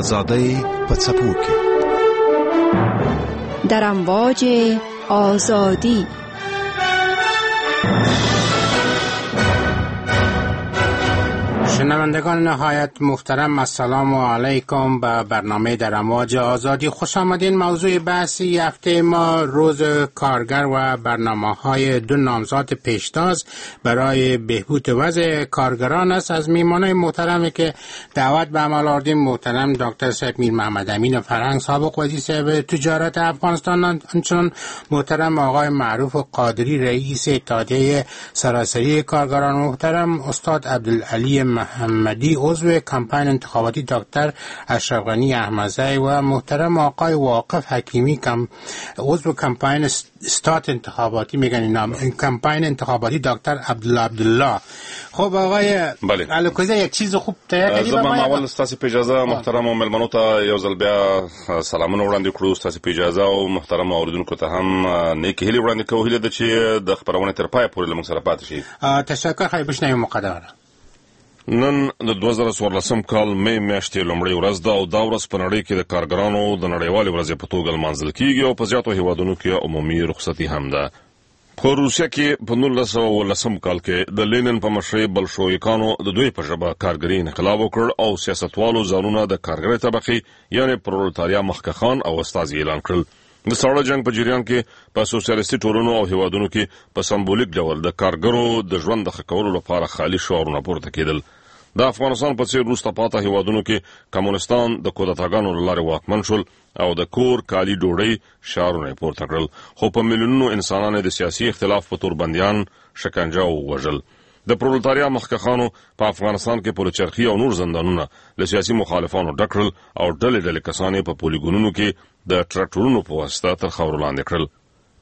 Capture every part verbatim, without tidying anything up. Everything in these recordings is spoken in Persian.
آزادۍ په څپو کې، در امواج آزادی. شنوندگان نهایت محترم، السلام علیکم. به برنامه در امواج آزادی خوش آمدین. موضوع بحث هفته ما روز کارگر و برنامه‌های دو نامزد پیشتاز برای بهبود وضع کارگران است. از میهمانان محترمی که دعوت به عمل آوردیم، محترم دکتر صاحب میر محمد امین فرهنگ، سابق وزیر صاحب تجارت افغانستان، همچنین محترم آقای معروف قادری، رئیس اتحادیه سراسری کارگران، محترم استاد عبدالعلی محمدی، عضو کمپاین انتخاباتی دکتر اشرف غنی احمدزی، و محترم آقای واقف حکیمی، کم عضو کمپاین استات انتخاباتی، میگن اینا کمپاین انتخاباتی دکتر عبدالله عبدالله. خب آقای الکوزی، یک چیز خوب تیار کردی. زه به اول ستاسو په اجازه محترم مېلمنو ته یو ځل بیا سلامونه وړاندې کړو. ستاسو په اجازه او محترم اوریدونکو ته هم نیکې هیلې وړاندې کوو. هیله ده چې د خپرونې تر پایه پورې له موږ سره پاتې شي. تشکر. خیر بشنویم مقدمه. نن د دوه زره څوارلسم کال مې میاشتې لومړۍ ورځ ده او دا ورځ په نړۍ کې د کارګرانو د نړیوالې ورځې په توګه لمانځل کیږي او په زیاتو هیوادونو کې عمومي رخصتي هم ده. په روسیه کې په نولس سوه اوولسم کال کې د لینن په مشرۍ بلشویکانو د دوی په ژبه کارګري انقلاب وکړ او سیاستوالو ځانونه د کارګرې طبقې یعنې پرولتاریا مخکښان او استازي اعلان کړل. د ساړه جنګ په جریان کې په سوسیالیستي ټولنو او هیوادونو کې په سمبولیک ډول د کارګرو د ژوند د ښه کولو لپاره خالي شعارونه پورته کېدل. د افغانستان په څېر وروسته پاته هیوادونو کې کمونستان د کودتاګانو له لارې واکمن شول او د کور، کالي، ډوډۍ شعارونه یې پورته کړل، خو په میلیونونو انسانان یې د سیاسي اختلاف په تور بندیان، شکنجه او وژل. د پرولتاریا مخکښانو په افغانستان کې پلچرخي او نور زندانونه له سیاسي مخالفانو ډک کړل او ډلې ډلې کسان یې په پولیګونونو کې د ټراکټورونو په واسطه تر خاورو لاندې کړل.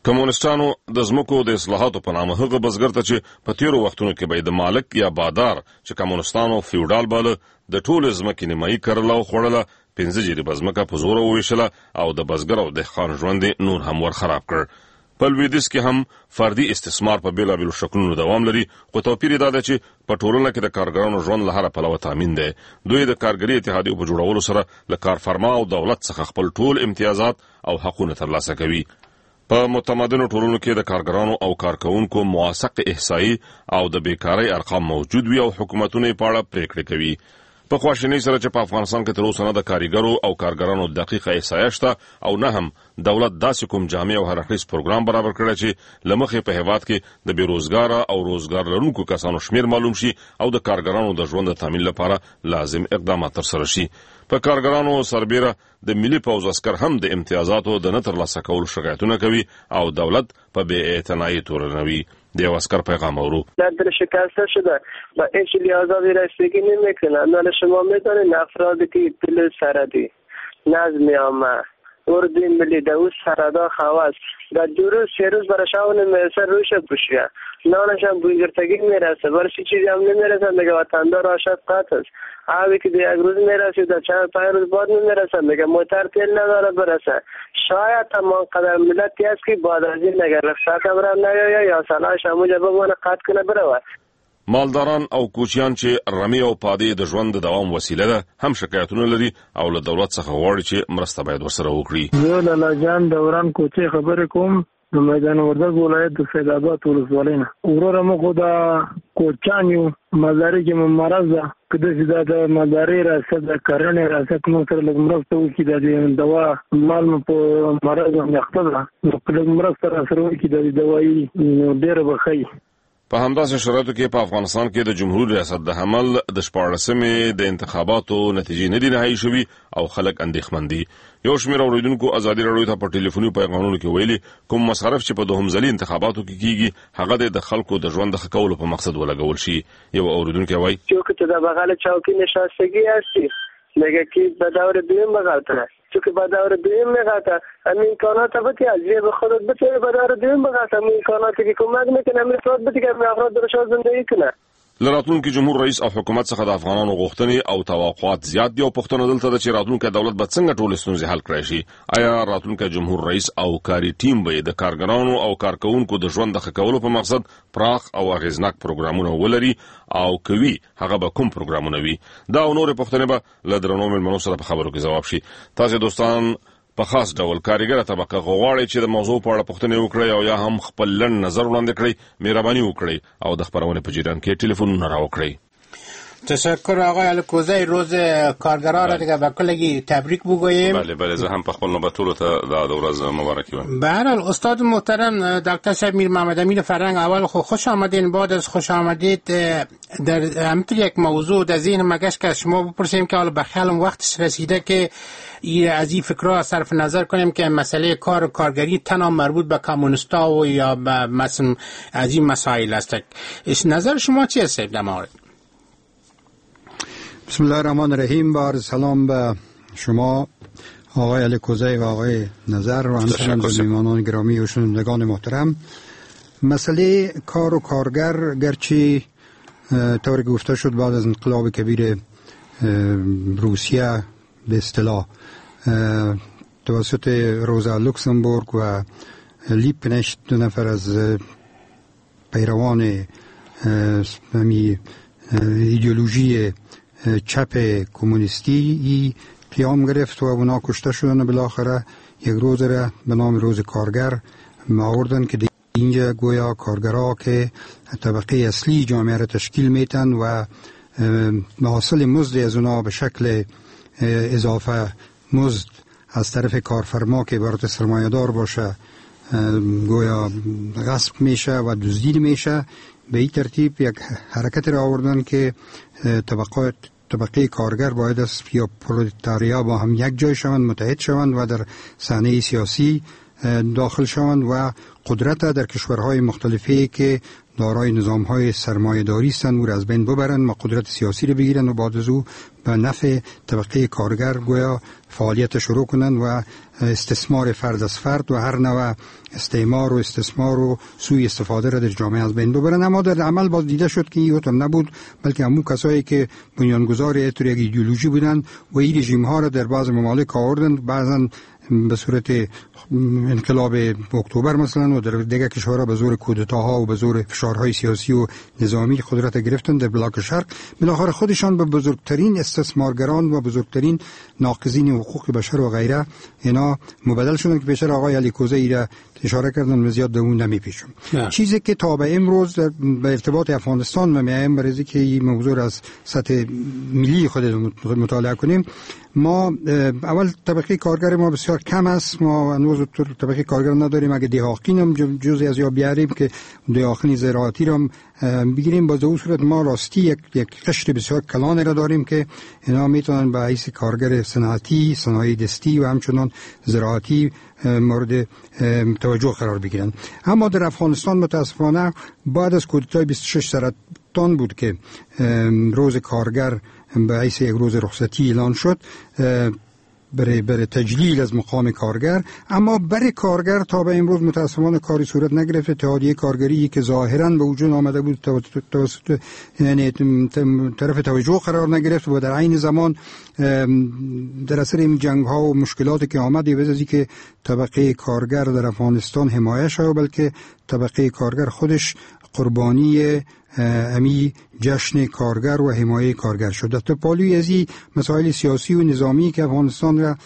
کمونستانو د ځمکو د اصلاحاتو په نامه هغه بزګر ته چې په تیرو وختونو کې به یې د مالک یا بادار چې کمونستانو فیوډال باله د ټولې ځمکې نیمایي کرله او خوړله، پنځه جریبه ځمکه په زوره وویشله او د بزګر او دهقان ژوند یې نور هم ورخراب کړ. په لویدیځ کې هم فردي استثمار په بېلابېلو شکلونو دوام لري، خو توپیر یې دا دی چې په ټولنه کې د کارګرانو ژوند له هره پلوه تامین دی. دوی د کارګري اتحادیو په جوړولو سره له کارفرما او دولت څخه خپل ټول امتیازات او حقونه ترلاسه کوي. په متمدنو ټولنو کې د کارګرانو او کارکوونکو موثق احصایي او د بیکارۍ ارقام موجود وي او حکومتونه یې په اړه پرېکړې کوي. په خواشینۍ سره چې په افغانستان کې تر اوسه نه د کاریګرو او کارګرانو دقیقه احصایه شته او نه هم دولت داسې کوم جامع او هر اړخیز پروګرام برابر کړی چې له مخې په هیواد کې د بې روزګاره او روزګار لرونکو کسانو شمېر معلوم شي او د کارګرانو د ژوند د تامین لپاره لازم اقدامات ترسره شي. په کارګرانو سربېره د ملي پوځ عسکر هم د امتیازاتو د نه ترلاسه کولو شکایتونه کوي او دولت په بې اعتنایۍ تورنوي. د یو عسکر پیغام اورو. در شکسته شده و هیچ لحاظی رسیدگی نمیکنه. نال شما میدانید افرادی که پل سردی نظم عامه اردوی ملی در او سردا خواست در دو روز سه روز برای شاون میرسه روش پوشیه نانش هم بویگرتگی میرسه برای چیزی هم نمیرسه. میگه وطندار آشد قطع است. اوی که در یک روز میرسه در چند پنج روز بعد نمیرسه. میگه موتر تیل نداره برسه. شاید تمام قدر ملتی است که بعد از این اگر رخصت برم نیاید یا سلاحش همونجا بمانه قطع کنه بروه. مالداران او کوچیان چې رمې او پادې د ژوند د دوام وسیله ده هم شکایتونه لري او له دولت څخه غواړي چې مرسته باید ورسره وکړي. زه لالا جان دوران کوچې خبرې کوم د میدان وردګ ولایت د سید آباد ولسوالۍ نه. وروره موږ خو دا کوچیان یو، مالداري کې مو مرض ده. که داسې دا د مالدارۍ ریاست د کرنې ریاست موږ سره لږ مرسته وکړي، دا د دوا مال مو په مرض باندې اخته ده، نو که لږ مرسته راسره وکړي د دوايي نو ډېره به ښه وي. په همداسې شرایطو کې په افغانستان کې د جمهوري ریاست د حمل د شپاړسمې د انتخاباتو نتیجې نه دي نهایي شوي او خلک اندېښمن دي. یو شمېر اورېدونکو ازادي راډیو ته په ټلیفوني پیغامونو کې ویلي کوم مصارف چې په دوهم ځلي انتخاباتو کې کیږي هغه د خلکو د ژوند د ښه کولو په مقصد ولګول شي. یو اورېدونکی وایي: چون که در بغل چوکی نشستگی هستی میگه که به دور دویم بغلتره، چون که به دور دویم میغلطه همین امکانات بتی از جیب خودت بتی به دور دویم بغلطه، همین امکاناتی که کمک میکنه همین افراد بتی که همین افراد درشان زندگی کنه. له راتلونکي جمهور رئیس او حکومت څخه د افغانانو غوښتنې او توقعات زیات دي او پوښتنه دلته ده چې راتلونکی دولت به څنګه ټولې ستونزې حل کړای شي. آیا راتلونکی جمهور رئیس او کاري ټیم به د کارګرانو او کارکوونکو د ژوند د ښه کولو په مقصد پراخ او اغېزناک پروګرامونه ولري او کوي هغه به کوم پروګرامونه وي؟ دا او نورې پوښتنې به له درنو مېلمنو سره په خبرو کې ځواب شي. تاسې دوستان په خاص ډول کاریګره طبقه غواړي چې د موضوع په اړه پوښتنې وکړي او یا هم خپل لنډ نظر وړاندې کړئ، مهرباني وکړئ او د خپرونې په جریان کې ټلیفونونه راوکړئ. تشکر آقای الکوزی. روز کارگران را دیگه به کلگی تبریک بگوییم. بله بله، زه هم په خپل نوبت ټولو ته دا د ورځ مبارکي وایم. به هر حال استاد محترم دکتر صاحب میر محمد امین فرهنگ، اول خو خوش آمدین. بعد از خوش آمدید در همینطور یک موضوع در ذهن مگش که شما بپرسیم که حالا به خیالم وقتش رسیده که از این فکرها صرف نظر کنیم که مسئله کار و کارگری تنها مربوط به کمونیستا و یا به مثلا از این مسائل است. نظر شما چی است در مورد؟ بسم الله الرحمن الرحیم. با عرض سلام به شما آقای الکوزی و آقای نظر و همچنین به میهمانان گرامی و شنوندگان محترم. مسئله کار و کارگر گرچه طوری که گفته شد بعد از انقلاب کبیر روسیه به اصطلاح توسط روزا لوکسامبورگ و لیپنشت، دو نفر از پیروان ایدئولوژی چپ کمونیستی قیام گرفت و اونا کشته شدن و بالاخره یک روز را به نام روز کارگر آوردن که اینجا گویا کارگرها که طبقه اصلی جامعه را تشکیل میتن و حاصل مزد از اونا به شکل اضافه مزد از طرف کارفرما که عبارت سرمایه‌دار باشه گویا غصب میشه و دزدی میشه. به این ترتیب یک حرکت را آوردن که طبقات طبقه کارگر باید است یا پرولتاریا با هم یک جای شوند، متحد شوند و در صحنه سیاسی داخل شوند و قدرت در کشورهای مختلفی که دارای نظام‌های سرمایه‌داری هستند او را از بین ببرند و قدرت سیاسی را بگیرند و بعد از او به نفع طبقه کارگر گویا فعالیت شروع کنند و استثمار فرد از فرد و هر نوع استعمار و استثمار و سوء استفاده را در جامعه از بین ببرند. اما در عمل باز دیده شد که این هم نبود، بلکه همون کسایی که بنیانگذار یک ایدئولوژی بودند و این رژیم ها را در بعض ممالک آوردند، بعضا به صورت انقلاب اکتبر مثلا و در دیگر کشورها به زور کودتاها و به زور فشارهای سیاسی و نظامی قدرت گرفتن در بلاک شرق. بالاخره خودشان به بزرگترین استثمارگران و بزرگترین ناقضین حقوق بشر و غیره اینا مبدل شدن که پیشتر آقای الکوزی ایره اشاره کردن و زیاد به اون نمیپیچم. چیزی که تا به امروز در به ارتباط افغانستان و میایم برای که این موضوع از سطح ملی خود مطالعه کنیم، ما اول طبقه کارگر ما بسیار کم است. ما هنوز طبقه کارگر نداریم. اگه دهاقین هم جزئی از یا بیاریم که دهاقین زراعتی را بگیریم، باز در صورت ما راستی یک یک قشر بسیار کلان را داریم که اینا میتونن به حیث کارگر صنعتی، صنایع دستی و همچنان زراعتی مورد توجه قرار بگیرن. اما در افغانستان متاسفانه بعد از کودتای بیست و شش سرطان بود که روز کارگر به حیث یک روز رخصتی اعلان شد برای برای تجلیل از مقام کارگر. اما برای کارگر تا به امروز متاسفانه کاری صورت نگرفت. اتحادیه کارگری که ظاهراً به وجود آمده بود توسط یعنی طرف توجه قرار نگرفت و در عین زمان در اثر این جنگ ها و مشکلاتی که آمد، به از اینکه طبقه کارگر در افغانستان حمایت شد، بلکه طبقه کارگر خودش قربانی امی جشن کارگر و حمایه کارگر شد. در پالوی از این مسائل سیاسی و نظامی که افغانستان را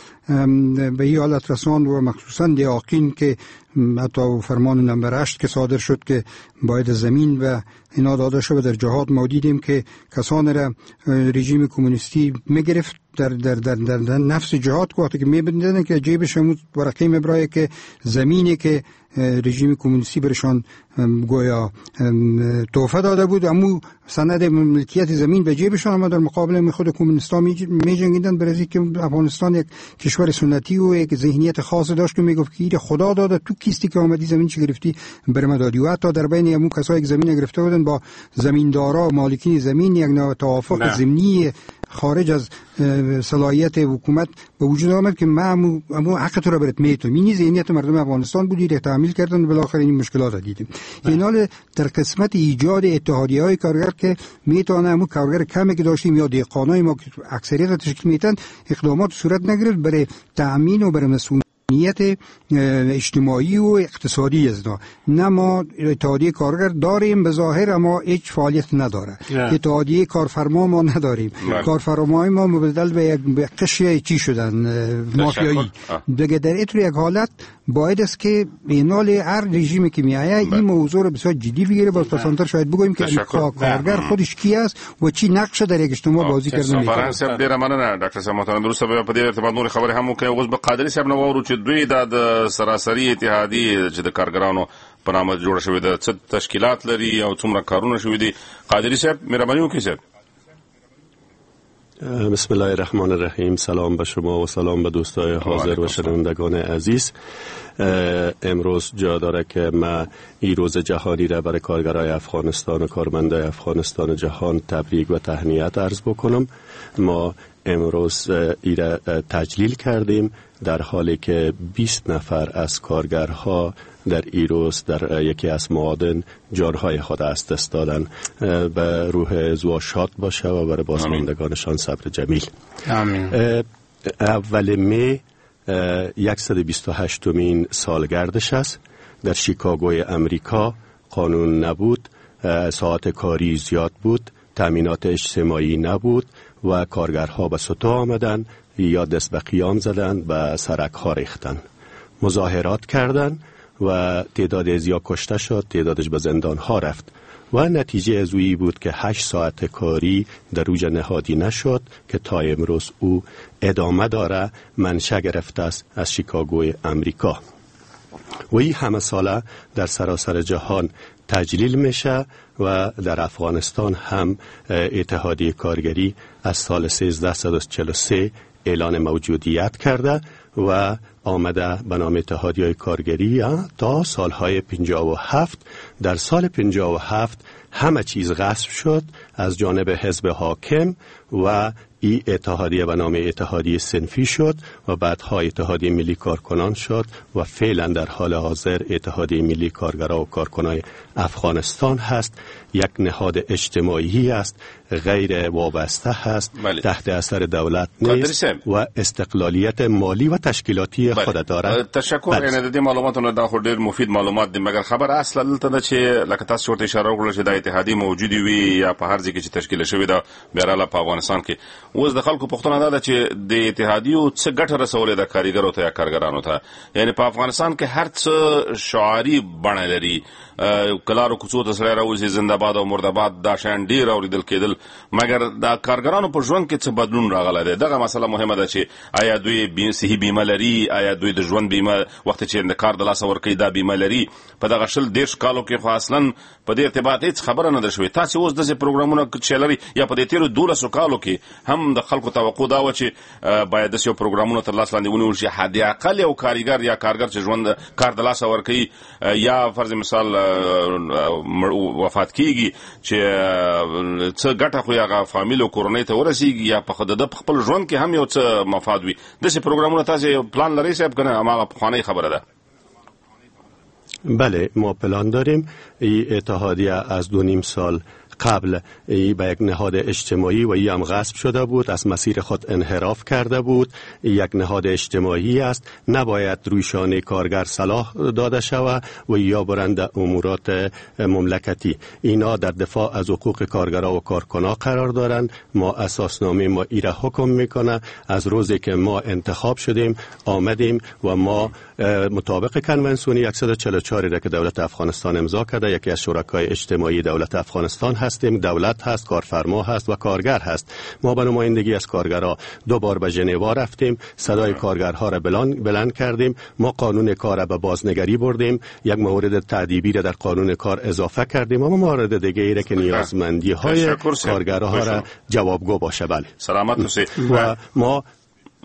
به این حالت رساند و مخصوصا دهاقین که حتی فرمان نمبر هشت که صادر شد که باید زمین و اینا داده شد، در جهات ما دیدیم که کسان را رژیم کمونیستی میگرفت در در در در, در نفس جهات وقتی که میبندن که جیبش هم ورقه میبرای که زمینی که رژیم کمونیستی برشان گویا تحفه داده بود، امو سند ملکیت زمین به جیبشان، اما در مقابل خود کمونیستا میجنگیدن برای که افغانستان یک کشور سنتی و یک ذهنیت خاص داشت که میگفت که خدا داده، تو کیستی که آمدی زمین چه گرفتی بر ما دادی. و حتی در بین امو کسایی که زمین گرفته بودن با زمیندارا و مالکین زمین یک نوع توافق ضمنی خارج از صلاحیت حکومت به وجود آمد که ما امو حق تو را برات میتونم. این ذهنیت مردم افغانستان بود که تحمیل کردن، بالاخره این مشکلات را دیدیم. این حال در قسمت ایجاد اتحادیه‌های کارگر که میتونه امو کارگر کمی که داشتیم یا دهقانای ما که اکثریت تشکیل میتن، اقدامات صورت نگرفت برای تأمین و برای مسئولیت اجتماعی و اقتصادی از اینا. نه ما اتحادیه کارگر داریم به ظاهر، اما هیچ فعالیت نداره. اتحادیه کارفرما ما نداریم. کارفرمای ما مبدل به یک قشر چی شدن، مافیایی دیگه. در اینطور یک حالت باید است که اینال هر رژیمی که میآید این موضوع رو بسیار جدی بگیره. باز پسانتر شاید بگوییم که کارگر خودش کی است و چی نقش در یک اجتماع بازی کرده میتونه. فرهنګ صاحب ډیره مننه. ډاکټر صاحب محترم، درسته به په دې ارتباط نور خبرې هم وکړو. اوس به قادري صاحب نو واورو چې دوی دا د سراسري اتحادیې چې د کارګرانو په نامه جوړه شوې ده څه تشکیلات لري او څومره کارونه شوي دي. قادري صاحب مهرباني وکړئ صاحب. بسم الله الرحمن الرحیم. سلام به شما و سلام به دوستای حاضر و شنوندگان عزیز. امروز جا داره که ما این روز جهانی را برای کارگرای افغانستان و کارمندای افغانستان جهان تبریک و تهنیت عرض بکنم. ما امروز ای را تجلیل کردیم در حالی که بیست نفر از کارگرها در ای روز در یکی از معادن جانهای خود از دست دادن. به روح زوا شاد باشه و برای بازماندگانشان صبر جمیل. آمین. اول می صد و بیست و هشتمین سالگردش است. در شیکاگوی امریکا قانون نبود، ساعت کاری زیاد بود، تامینات اجتماعی نبود و کارگرها به سطح آمدن یا دست به قیام زدن، به سرک ها ریختن، مظاهرات کردن و تعداد ازیا کشته شد، تعدادش به زندان ها رفت و نتیجه از اویی بود که هشت ساعت کاری در روز نهادی نشد که تا امروز او ادامه داره، منشأ گرفته است از شیکاگوی امریکا و این همه ساله در سراسر جهان تجلیل میشه و در افغانستان هم اتحادیه کارگری از سال سیزده چهل و سه اعلان موجودیت کرده و آمده به نام اتحادیه کارگری تا سالهای پنجاه و هفت. در سال پنجاه و هفت همه چیز غصب شد از جانب حزب حاکم و ای اتحادیه به نام اتحادیه صنفی شد و بعدها اتحادیه ملی کارکنان شد و فعلا در حال حاضر اتحادیه ملی کارگران و کارکنان افغانستان هست. یک نهاد اجتماعی است، غیر وابسته هست، بله. تحت اثر دولت نیست و استقلالیت مالی و تشکیلاتی خود دارد. تشکر. یعنی د دې معلوماتو نه دا خو ډیر مفید معلومات دي، مګر خبر اصلا دلته ده چې لکه تاسو ورته اشاره وکړه چې دا اتحادیه موجودې وي یا په هر ځای کې چې تشکیل شوې ده، بهرحال په افغانستان کې اوس د خلکو پوښتنه دا ده چې د اتحادیو څه ګټه رسولې ده کاریګرو ته یا کارګرانو ته؟ یعنی په افغانستان کې هر څه شعاري بڼه لري، کلارو کوڅو ته سړی راوځي زنده باد او مرده باد دا شیان ډیر اورېدل کېدل، مګر د کارګرانو په ژوند کې څه بدلون راغلی دی؟ دغه مسله مهمه ده چې آیا دوی صحي بیمه لري، آیا دوی د ژوند بیمه وخت چې د کار د لاسه ورکوي دا بیمه لري؟ په دغه شل دېرش کالو کې خو اصلا په دې ارتباط هیڅ خبره نه ده شوې. تاسې اوس داسې پروګرامونه چې لري یا په دې تېرو دولسو کالو کې هم د خلکو توقع دا وه چې باید داسې یو پروګرامونه تر لاس لاندې ونیول شي، حد اقل یو کاریګر یا کارګر چې ژوند کار د لاسه ورکوي یا فرض مثال وفات کیږي چې څه ګټه خو هغه فامیل او کورنۍ ته ورسیږي یا په د خپل ژوند کې هم یو څه مفاد وي. داسې پروګرامونه تاسې پلان لرئ صاحب که نه هماغه پخوانۍ خبره ده؟ بله، ما پلان داریم. این اتحادیه از دو نیم سال قبل ای به یک نهاد اجتماعی و ای هم غصب شده بود، از مسیر خود انحراف کرده بود. یک نهاد اجتماعی است، نباید روی شانه کارگر صلاح داده شود و یا برند امورات مملکتی. اینا در دفاع از حقوق کارگرها و کارکنا قرار دارند. ما اساسنامه ما ایره حکم میکنه. از روزی که ما انتخاب شدیم آمدیم و ما مطابق کنوانسیون صد و چهل و چهار را که دولت افغانستان امضا کرده، یکی از شرکای اجتماعی دولت افغانستان هستیم. دولت هست، کارفرما هست و کارگر هست. ما به نمایندگی از کارگرها دو بار به ژنوا رفتیم، صدای کارگرها را بلند بلند کردیم. ما قانون کار را به بازنگری بردیم، یک مورد تعدیبی را در قانون کار اضافه کردیم و مورد دیگه ای را که نیازمندی های کارگرها را جوابگو باشه. بله، سلامت باشید. و ما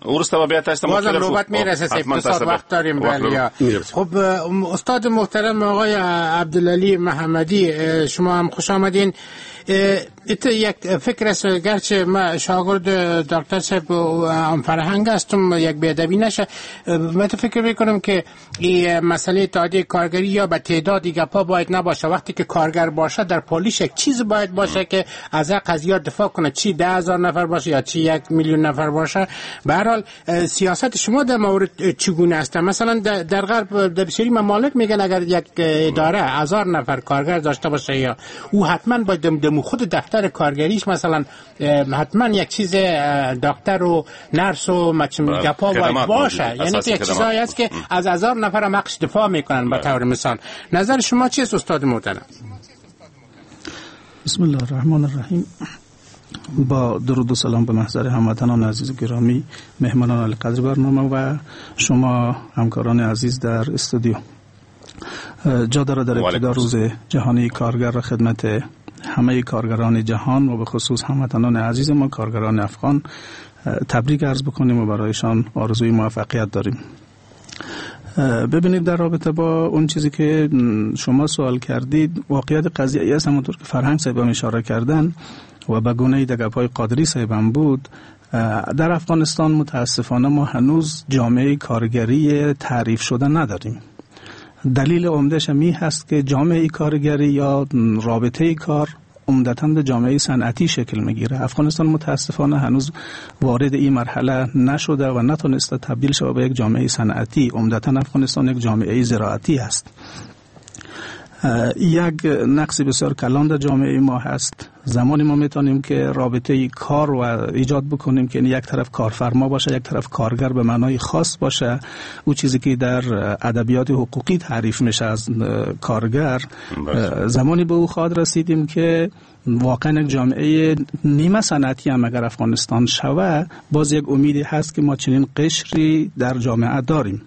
ورسته بیا تاسو ته بازم نوبت میرسه، سه ساعت وقت داریم. بله. خب استاد محترم آقای عبدالعلی محمدی، شما هم خوش آمدین. یک فکر است، گرچه ما شاگرد دکتر صاحب فرهنگ هستم، یک بی‌ادبی نشه، من فکر میکنم که این مسئله اتحادیه کارگری یا به تعداد گپا باید نباشه. وقتی که کارگر باشه در پالیش یک چیز باید باشه که از قضیه دفاع کنه، چی ده هزار نفر باشه یا چی یک میلیون نفر باشه. به هر حال سیاست شما در مورد چگونه است؟ مثلا در غرب در بسیاری ممالک میگن اگر یک اداره هزار نفر کارگر داشته باشه یا او حتما باید دم خود دفتر کارگریش مثلا حتما یک چیز دکتر و نرس و مچم گپا باید باشه. یعنی یک چیزایی است که از هزار نفر هم حقش دفاع میکنن به طور مثال. نظر شما چیست استاد محترم؟ بسم الله الرحمن الرحیم. با درود و سلام به محضر هموطنان عزیز و گرامی، مهمانان عالیقدر برنامه و شما همکاران عزیز در استودیو. جا داره در ابتدا روز جهانی کارگر را خدمت همه کارگران جهان و به خصوص هموطنان عزیز ما کارگران افغان تبریک عرض بکنیم و برایشان آرزوی موفقیت داریم. ببینید، در رابطه با اون چیزی که شما سوال کردید، واقعیت قضیه ای است همونطور که فرهنگ صاحب هم اشاره کردن و به گونه‌ای در گپ‌های قادری صاحب هم بود، در افغانستان متاسفانه ما هنوز جامعه کارگری تعریف شده نداریم. دلیل عمده‌اش می هست که جامعه کارگری یا رابطه کار عمدتاً به جامعه صنعتی شکل میگیره. افغانستان متاسفانه هنوز وارد این مرحله نشده و نتونسته تبدیل شود به یک جامعه صنعتی. عمدتاً افغانستان یک جامعه زراعتی است. یک نقص بسیار کلان در جامعه ما هست. زمانی ما میتونیم که رابطه کار و ایجاد بکنیم که یک طرف کارفرما باشه، یک طرف کارگر به معنای خاص باشه. او چیزی که در ادبیات حقوقی تعریف میشه از کارگر، زمانی به او خواهد رسیدیم که واقعا یک جامعه نیمه صنعتی هم اگر افغانستان شوه، باز یک امیدی هست که ما چنین قشری در جامعه داریم.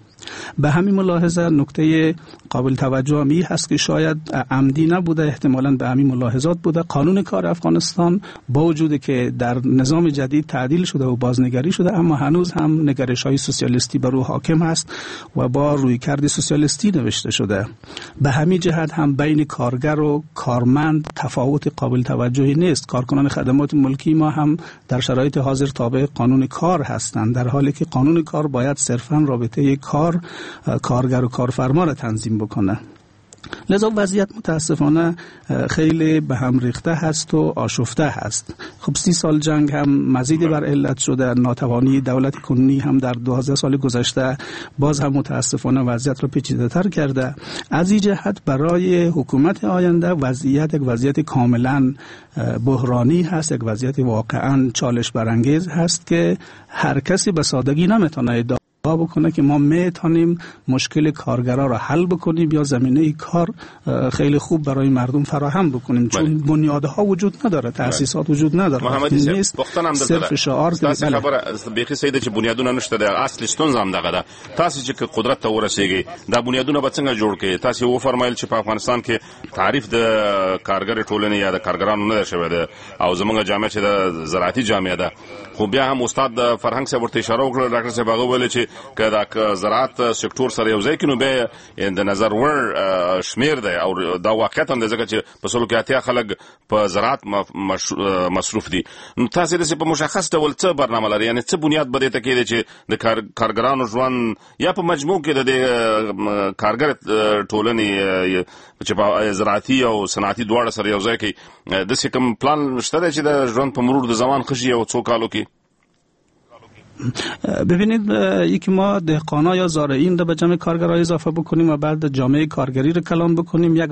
به همین ملاحظه نکته قابل توجه هم این هست که شاید عمدی نبوده، احتمالاً به همین ملاحظات بوده. قانون کار افغانستان با وجود که در نظام جدید تعدیل شده و بازنگری شده، اما هنوز هم نگرش‌های سوسیالیستی بر او حاکم هست و با رویکرد سوسیالیستی نوشته شده. به همین جهت هم بین کارگر و کارمند تفاوت قابل توجهی نیست. کارکنان خدمات ملکی ما هم در شرایط حاضر تابع قانون کار هستند، در حالی که قانون کار باید صرفاً رابطه کار کارگر و کارفرما را تنظیم بکنه. لذا وضعیت متاسفانه خیلی به هم ریخته هست و آشفته هست. خب سی سال جنگ هم مزید بر علت شده، ناتوانی دولت کنونی هم در دوازده سال گذشته باز هم متاسفانه وضعیت را پیچیده تر کرده. از این جهت برای حکومت آینده وضعیت یک وضعیت کاملا بحرانی هست، یک وضعیت واقعا چالش برانگیز هست که هر کسی به سادگی نمیتونه ادعا بکنه که ما میتونیم مشکل کارگرا را حل بکنیم یا زمینه کار خیلی خوب برای مردم فراهم بکنیم، چون بنیادها وجود نداره، تاسیسات وجود نداره. محمدي نیست صرف شعار. تاسو خبره بیخي سید چې بنیادونه نشته، د اصل ستونزه هم دغه ده. تاسو چې قدرت ته ورسیږئ دا بنیادونه به څنګه جوړ کړئ؟ تاسو و فرمایل چې په افغانستان کې تعریف د کارګر ټولنې یا د کارګرانو نه شوی ده او زمونږ جامعه چې د زراعتي جامعه ده. خو بیا هم استاد فرهنګ صاحب ورته اشاره وکړه، ډاکټر صاحب هغه ویل چې که دا زراعت سکتور سره یو ځای کینو به د نظر وړ شمیر دی او دا واقعیت هم دی، ځکه چې په سلو کې اتیا خلک په زراعت مصروف دي. نو تاسو داسې په مشخص ډول څه برنامه لرئ؟ یعنې څه بنیاد به دې ته کېږدئ چې د کارګرانو ژوند یا په مجموع کې د دې کارګر ټولنې چې په زراعتي او صنعتي دواړه سره یو ځای کې داسې کوم پلان شته دی چې د ژوند په مرور د زمان ښه شي او څو کالو کې؟ ببینید، یکی ما دهقانا یا زارعین رو به جمع کارگرها اضافه بکنیم و بعد جامعه کارگری رو کلان بکنیم، یک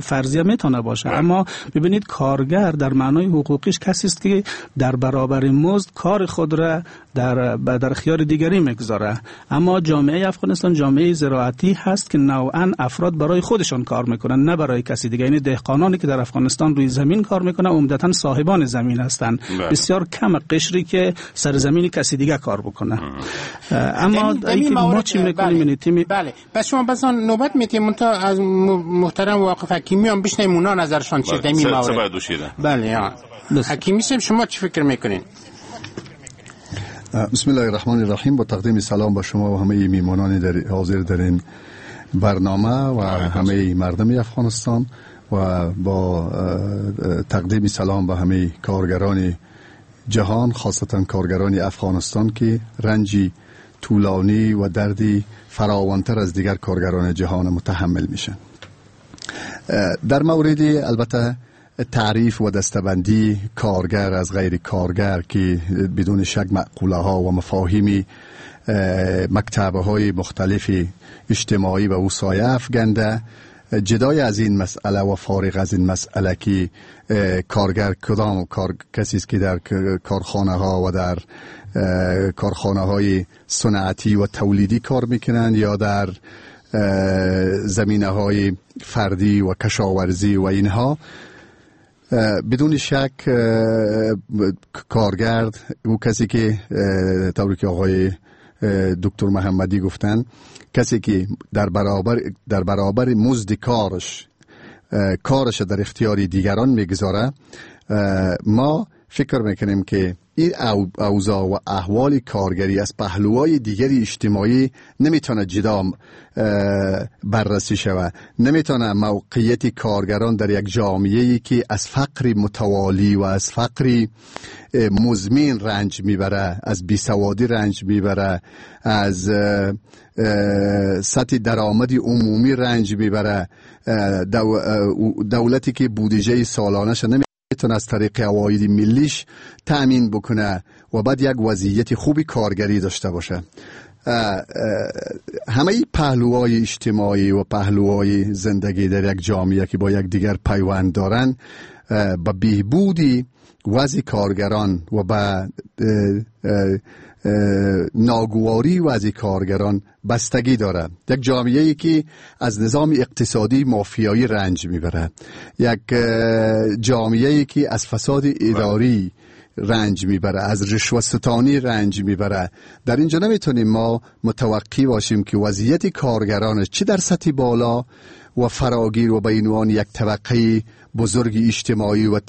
فرضیه میتونه باشه. اما ببینید، کارگر در معنای حقوقیش کسی است که در برابر مزد کار خود را در در خیار دیگری میگذاره. اما جامعه افغانستان جامعه زراعتی هست که نوعا افراد برای خودشان کار میکنن، نه برای کسی دیگه. یعنی دهقانانی که در افغانستان روی زمین کار میکنن عمدتا صاحبان زمین هستند، بسیار کم قشری که سرزمین کسی دیگه کار بکنه. اما اینکه ما چی میکنیم، تیم بله بس شما بس نوبت میتیم تا از محترم واقف حکیمی هم بشنیم اونا نظرشان چیه در این مورد. بله حکیمی صاحب شما چی فکر میکنین؟ بسم الله الرحمن الرحیم. با تقدیم سلام به شما و همه میمانان در حاضر در این برنامه و همه مردم افغانستان و با تقدیم سلام به همه کارگران جهان، خاصتا کارگران افغانستان که رنجی طولانی و دردی فراوانتر از دیگر کارگران جهان متحمل میشن. در مورد البته تعریف و دستبندی کارگر از غیر کارگر که بدون شک مقوله ها و مفاهیم مکتبه های مختلف اجتماعی و او سایه افکنده، جدای از این مسئله و فارغ از این مسئله که کارگر کدام کار کسی است که در کارخانه ها و در کارخانه های صنعتی و تولیدی کار میکنند یا در زمینه های فردی و کشاورزی و اینها، بدون شک کارگر او کسی که طوری که آقای دکتر محمدی گفتن، کسی که در برابر در برابر مزد کارش کارش در اختیار دیگران میگذاره، ما فکر میکنیم که این اوضاع و احوال کارگری از پهلوهای دیگری اجتماعی نمیتونه جدا بررسی شود، نمیتونه موقعیت کارگران در یک جامعه‌ای که از فقر متوالی و از فقر مزمن رنج میبره، از بیسوادی رنج میبره، از سطح درآمد عمومی رنج میبره، دولتی که بودجه سالانه‌اش نمی میتونه از طریق عواید ملیش تأمین بکنه و بعد یک وضعیت خوبی کارگری داشته باشه. همه پهلوهای اجتماعی و پهلوهای زندگی در یک جامعه که با یک دیگر پیوند دارن، با بهبودی وضع کارگران و با ناگواری وضع کارگران بستگی داره. یک جامعه‌ای که از نظام اقتصادی مافیایی رنج میبره، یک جامعه‌ای که از فساد اداری رنج میبره، از رشوه ستانی رنج میبره، در اینجا نمیتونیم ما متوقع باشیم که وضعیت کارگران چه در سطح بالا و فراگیر و به عنوان یک طبقه بزرگ اجتماعی و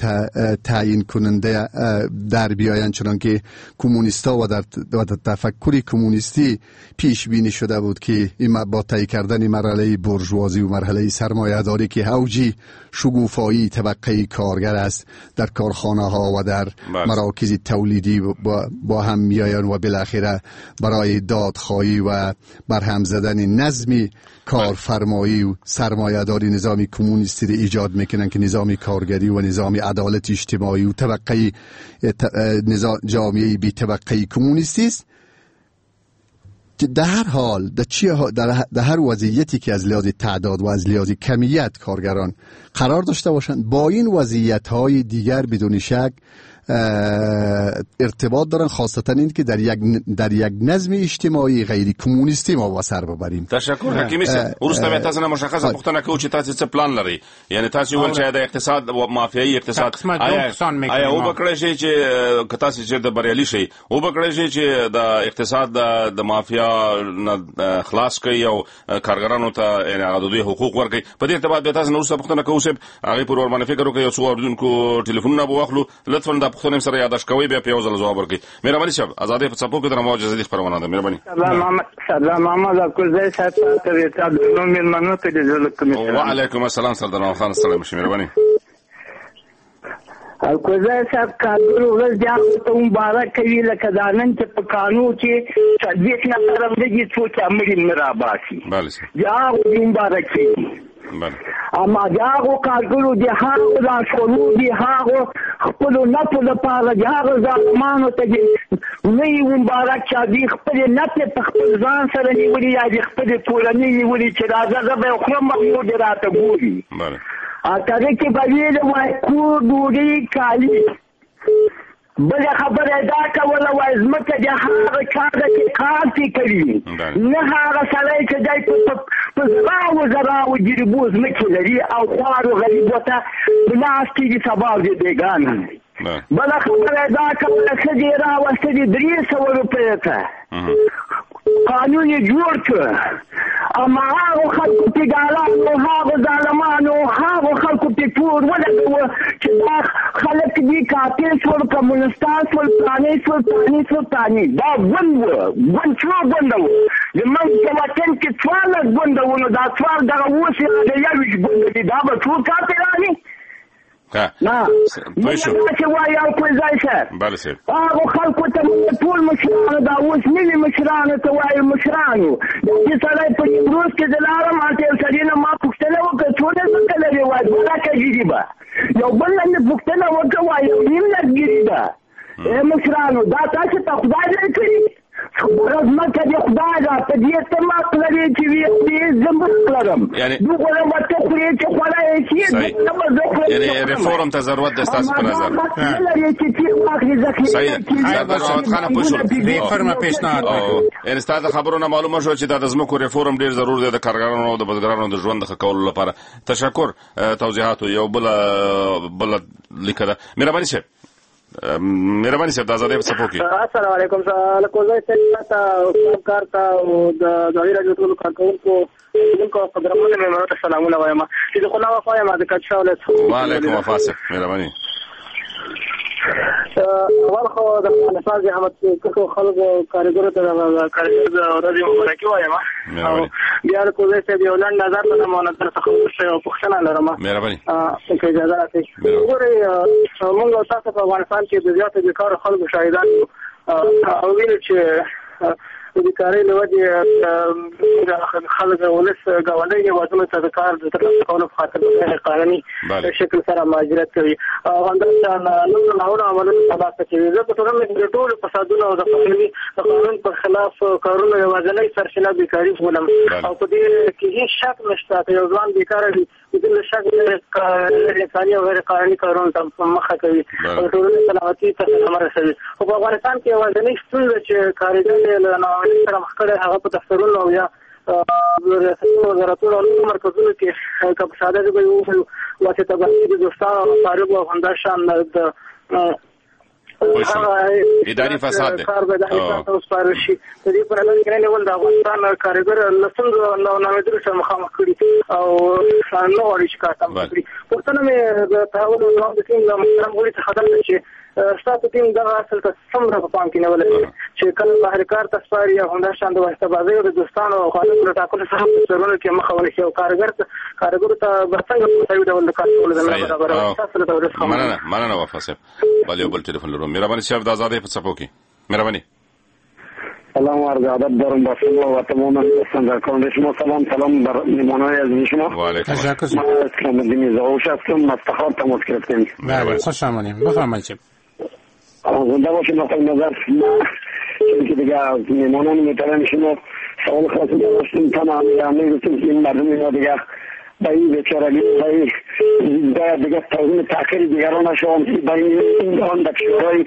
تعیین کننده در بیاین، چنان که کمونیستا و در تفکر کمونیستی پیش بینی شده بود که این با طی کردن مرحله بورژوازی و مرحله سرمایه‌داری که اوجی شکوفایی طبقه کارگر است در کارخانه ها و در مراکز تولیدی با, با هم میآیند و بالاخره برای دادخواهی و برهم زدن نظم کارفرمایی و سرمایه‌داری نظام کمونیستی را ایجاد میکنن که نظام کارگری و نظام عدالت اجتماعی و طبقه نظام جامعه بی طبقه کمونیستی است. در هر حال در, در, در هر وضعیتی که از لحاظ تعداد و از لحاظ کمیت کارگران قرار داشته باشند، با این وضعیت‌های دیگر بدون شک ارتباط دارن، خاصتا این که در یک در یک نظم اجتماعی غیر کمونیستی ما وسر ببریم. تشکر حکیمی صاحب. وروسته بیا تاسو نه مشخصه پوښتنه کوو چې تاسو څه پلان لرئ، یعنی تاسو ویل چې د اقتصاد و مافیایي اقتصاد آیا آیا وبکړی شي چې که تاسو چېرته بریالي شئ، وبکړی شي چې د اقتصاد د مافیا نه خلاص کړئ او کارګرانو ته یعنی هغه د دوی حقوق ورکړئ؟ په دې ارتباط بیا تاسو نه وروسته پوښتنه کوو صاحب، هغې پورې ورباندې فکر وکړئ، یو څو اورېدونکو ټلیفونونه به واخلو، لطفاً دا پوښتنه سره یادداشت کوئ، بیا په یو ځل ځواب ورکړئ. مهرباني صاحب، ازادۍ په څپو کې د رمواج ازادي خپرونه ده. مهرباني. سلام محمد اکوزی صاحب، تاسو مېلمنو ته د زړه کومې. وعلیکم السلام سردار خان، سلام شي. مهرباني اکوزی صاحب، کارګرو ورځ دې هغو ته مبارک وي لکه دا نن چې په کانو کې څلوېښت نفره مړه دي، څوک چې مړي نه راباسي، دې هغو دې مبارک وي. اما د هغو کارګرو د هغو لارښوونو د هغو خپلو نفو لپاره د هغو ظالمانو ته دې نه وي مبارک چې دوی خپلې نفې په خپل ځان سره نیولي یا د خپلې کورنۍ نیولي چې راځه زه به یې خورم او نور دې راته ګوري. تره کې به ویلي وای کور ډوډۍ کالي. بله خبره دا کوله وای ځمکه د هغه چا ده چې کار پرې کوي، نه هغه سړی چې دی په زراو زراو جریبو ځمکې لري او خوارو غریبو ته په لاس کېږي سبا او د بېګانه. بله خبره دا کوله ښځې یې راوستلې درې سوه روپیو ته، قانون یې جوړ کړ، اما هغو خلکو پې ګالانو هغو ظالمانو هغو خلکو پې تور ولګوه چې دا خلک دي، قاتل شول، کمونستان شول، پلانې شول، پلانې شول، پلانې. دا ګوند و، ګوند څو ګونده و؟ زموږ په وطن کې څوارلس ګونده وو، نو دا څوار دغه اوس یې د یوویشت ګونده دي، دا به ټول کافران وي؟ نه، موږ داسې وایو الکوزی صاحب. بله صاحب. هغو خلکو ته موږ ټول مشرانو، دا اوس نوي مشرانو ته وایو، مشرانو داسې سړی په نیمروز کې زه لاړم، هلته یو سړي نه ما پوښتنه وکړه څونه ځمکه لرې؟ وایي دوه لکه جریبه. یو بل نه مې پوښتنه وکړه، وایي یو نیم لک جریبه. ای مشرانو، دا تاسې ته خدای درکړي؟ دغه ځمکه دې خدای ده، په دې ته حق لرې چې ویې خورې، زه حق لرم. دوغونه به ته خورې چې خوړی شي، دوغونه به زه خورم. یعنې ریفورم ته ضرورت دی ستاسو په نظر؟ نه لرې چې تېر واخلې، ذخیره صحیح ده. سردار محمد خانه پوه شولم. ریفورم پیشنهاد یعنې ستا د خبرو نه معلومه شوه چې دا د ځمکو ریفورم ډېر ضرور دی د کارګرانو او د بزګرانو د ژوند د ښه کولو لپاره. تشکر توضیحاتو. یو بله بله لیکه ده. مهرباني صاحب، مهرباني صاحب د ازادۍ په څپو کې. السلام علیکم. الکوزی صاحب ته، کار ته او د ازادي راډیو ټولو کارکوونکو قدرمنو مېلمنو ته سلامونه وایم. چې د خلا وفا یم، د کچا ولایت. وعلیکم وفا صاحب، مهرباني. اول خو د افغانستان زحمت کښو خلکو کاریګرو ته د کاریګرو د ورځې مبارکي وایم. او بیا الکوزی صاحب یو لنډ نظر لرم او نظر څخه وروسته یوه پوښتنه لرم. مهرباني. که اجازه راکړئ. وګورئ، موږ او تاسو په افغانستان کې د زیاتو بېکارو خلکو شاهدان یو او وینو چې د بېکارۍ له وجې خلک ولس ګاونډیو هېوادونو ته د کار د ترلاسه کولو په خاطر په غیر قانوني شکل سره مهاجرت کوي او همداشان نورو ناوړو عملونو ته لاس اچوي. زه په ټولنه کې د ټولو فسادونو او د قانوني د قانون پر خلاف کارونو یوازینۍ سرچینه بېکاري بولم او په دې کې هېڅ شک نشته که یو ځوان بېکاره وي بدون له شک غیر انساني او غیر قانوني کارونو ته مخه کوي او د ټولنې سلامتي ته صدمه رسوي. خو په افغانستان کې یوازینۍ ستونزه چې کاریګر یې له ناامنۍ سره مخ کړی هغه په دفترونو او یا ریاستونو، وزارتونو او نورو مرکزونو کې که په ساده ژبه یې ووایو واسطه بازي د دوستانو او اقاربو او همداشان د اداري فساد دی کار به د هیڅ ته وسپارل شي. د دې په نظر کې نیول د افغانستان کاریګر له ستونزو او ناامیدیو سره مخامخ کړي او نه غواړي چې کار تمام کړي. پوښتنه مې د تحول او دوام د ټیم له محترم غړي څخه دا ده چې ستاسو ټیم دغه اصل ته څومره په پام کې نیولی دی چې کله بهر کار ته سپاري او همداشان د واسطه بازۍ او د دوستانو او خالقو له ټاکلو څخه په دفترونو کې مخه ونیسي او کارګر ته کارګرو ته به څنګه په مساوي ډول د کار کولو زمینه برابروي؟ ستاسو له تولید څخه مننه. مننه وفا صاحب. بله یو بل ټلیفون لرو. مهرباني صاحب د ازادۍ په څپو کې. مهرباني. سلام و عرض ادب دارم با شما و تمام دوستان شما. سلام سلام بر میهمانان عزیز شما. و علیکم. تشکر. من اسلام الدین زاوش هستم، از تخار تماس گرفتیم. بله خوش آمدید، بفرمایید. زنده باشید آقای نظر. چون که دیگه از میهمانان محترم شما سوال خاصی داشتیم، تمام همه گفتیم که این مردم اینا دیگه به این بیچارگی به این دیگه توهین تحقیر دیگران نشوند، به این آن در کشورهای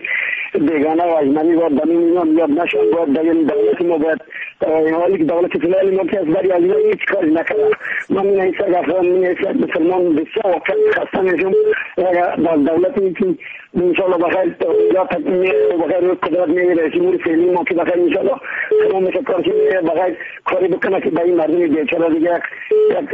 بیگانه و اجنبی باید به این اینا یاد نشوند. باید در این دولت ما باید حالی که دولت فعلی ما که از بری از اینا هیچ کاری نکرده. من این حیث افغان، من حیث مسلمان بسیار واقعا خسته میشم در دولتی که انشاءالله بخیر یا بخیر قدرت میره رئیس جمهور فعلی ما که بخیر انشاءالله تمام میشه کارش بخیر کاری بکنه که به این مردم بیچاره دیگه یک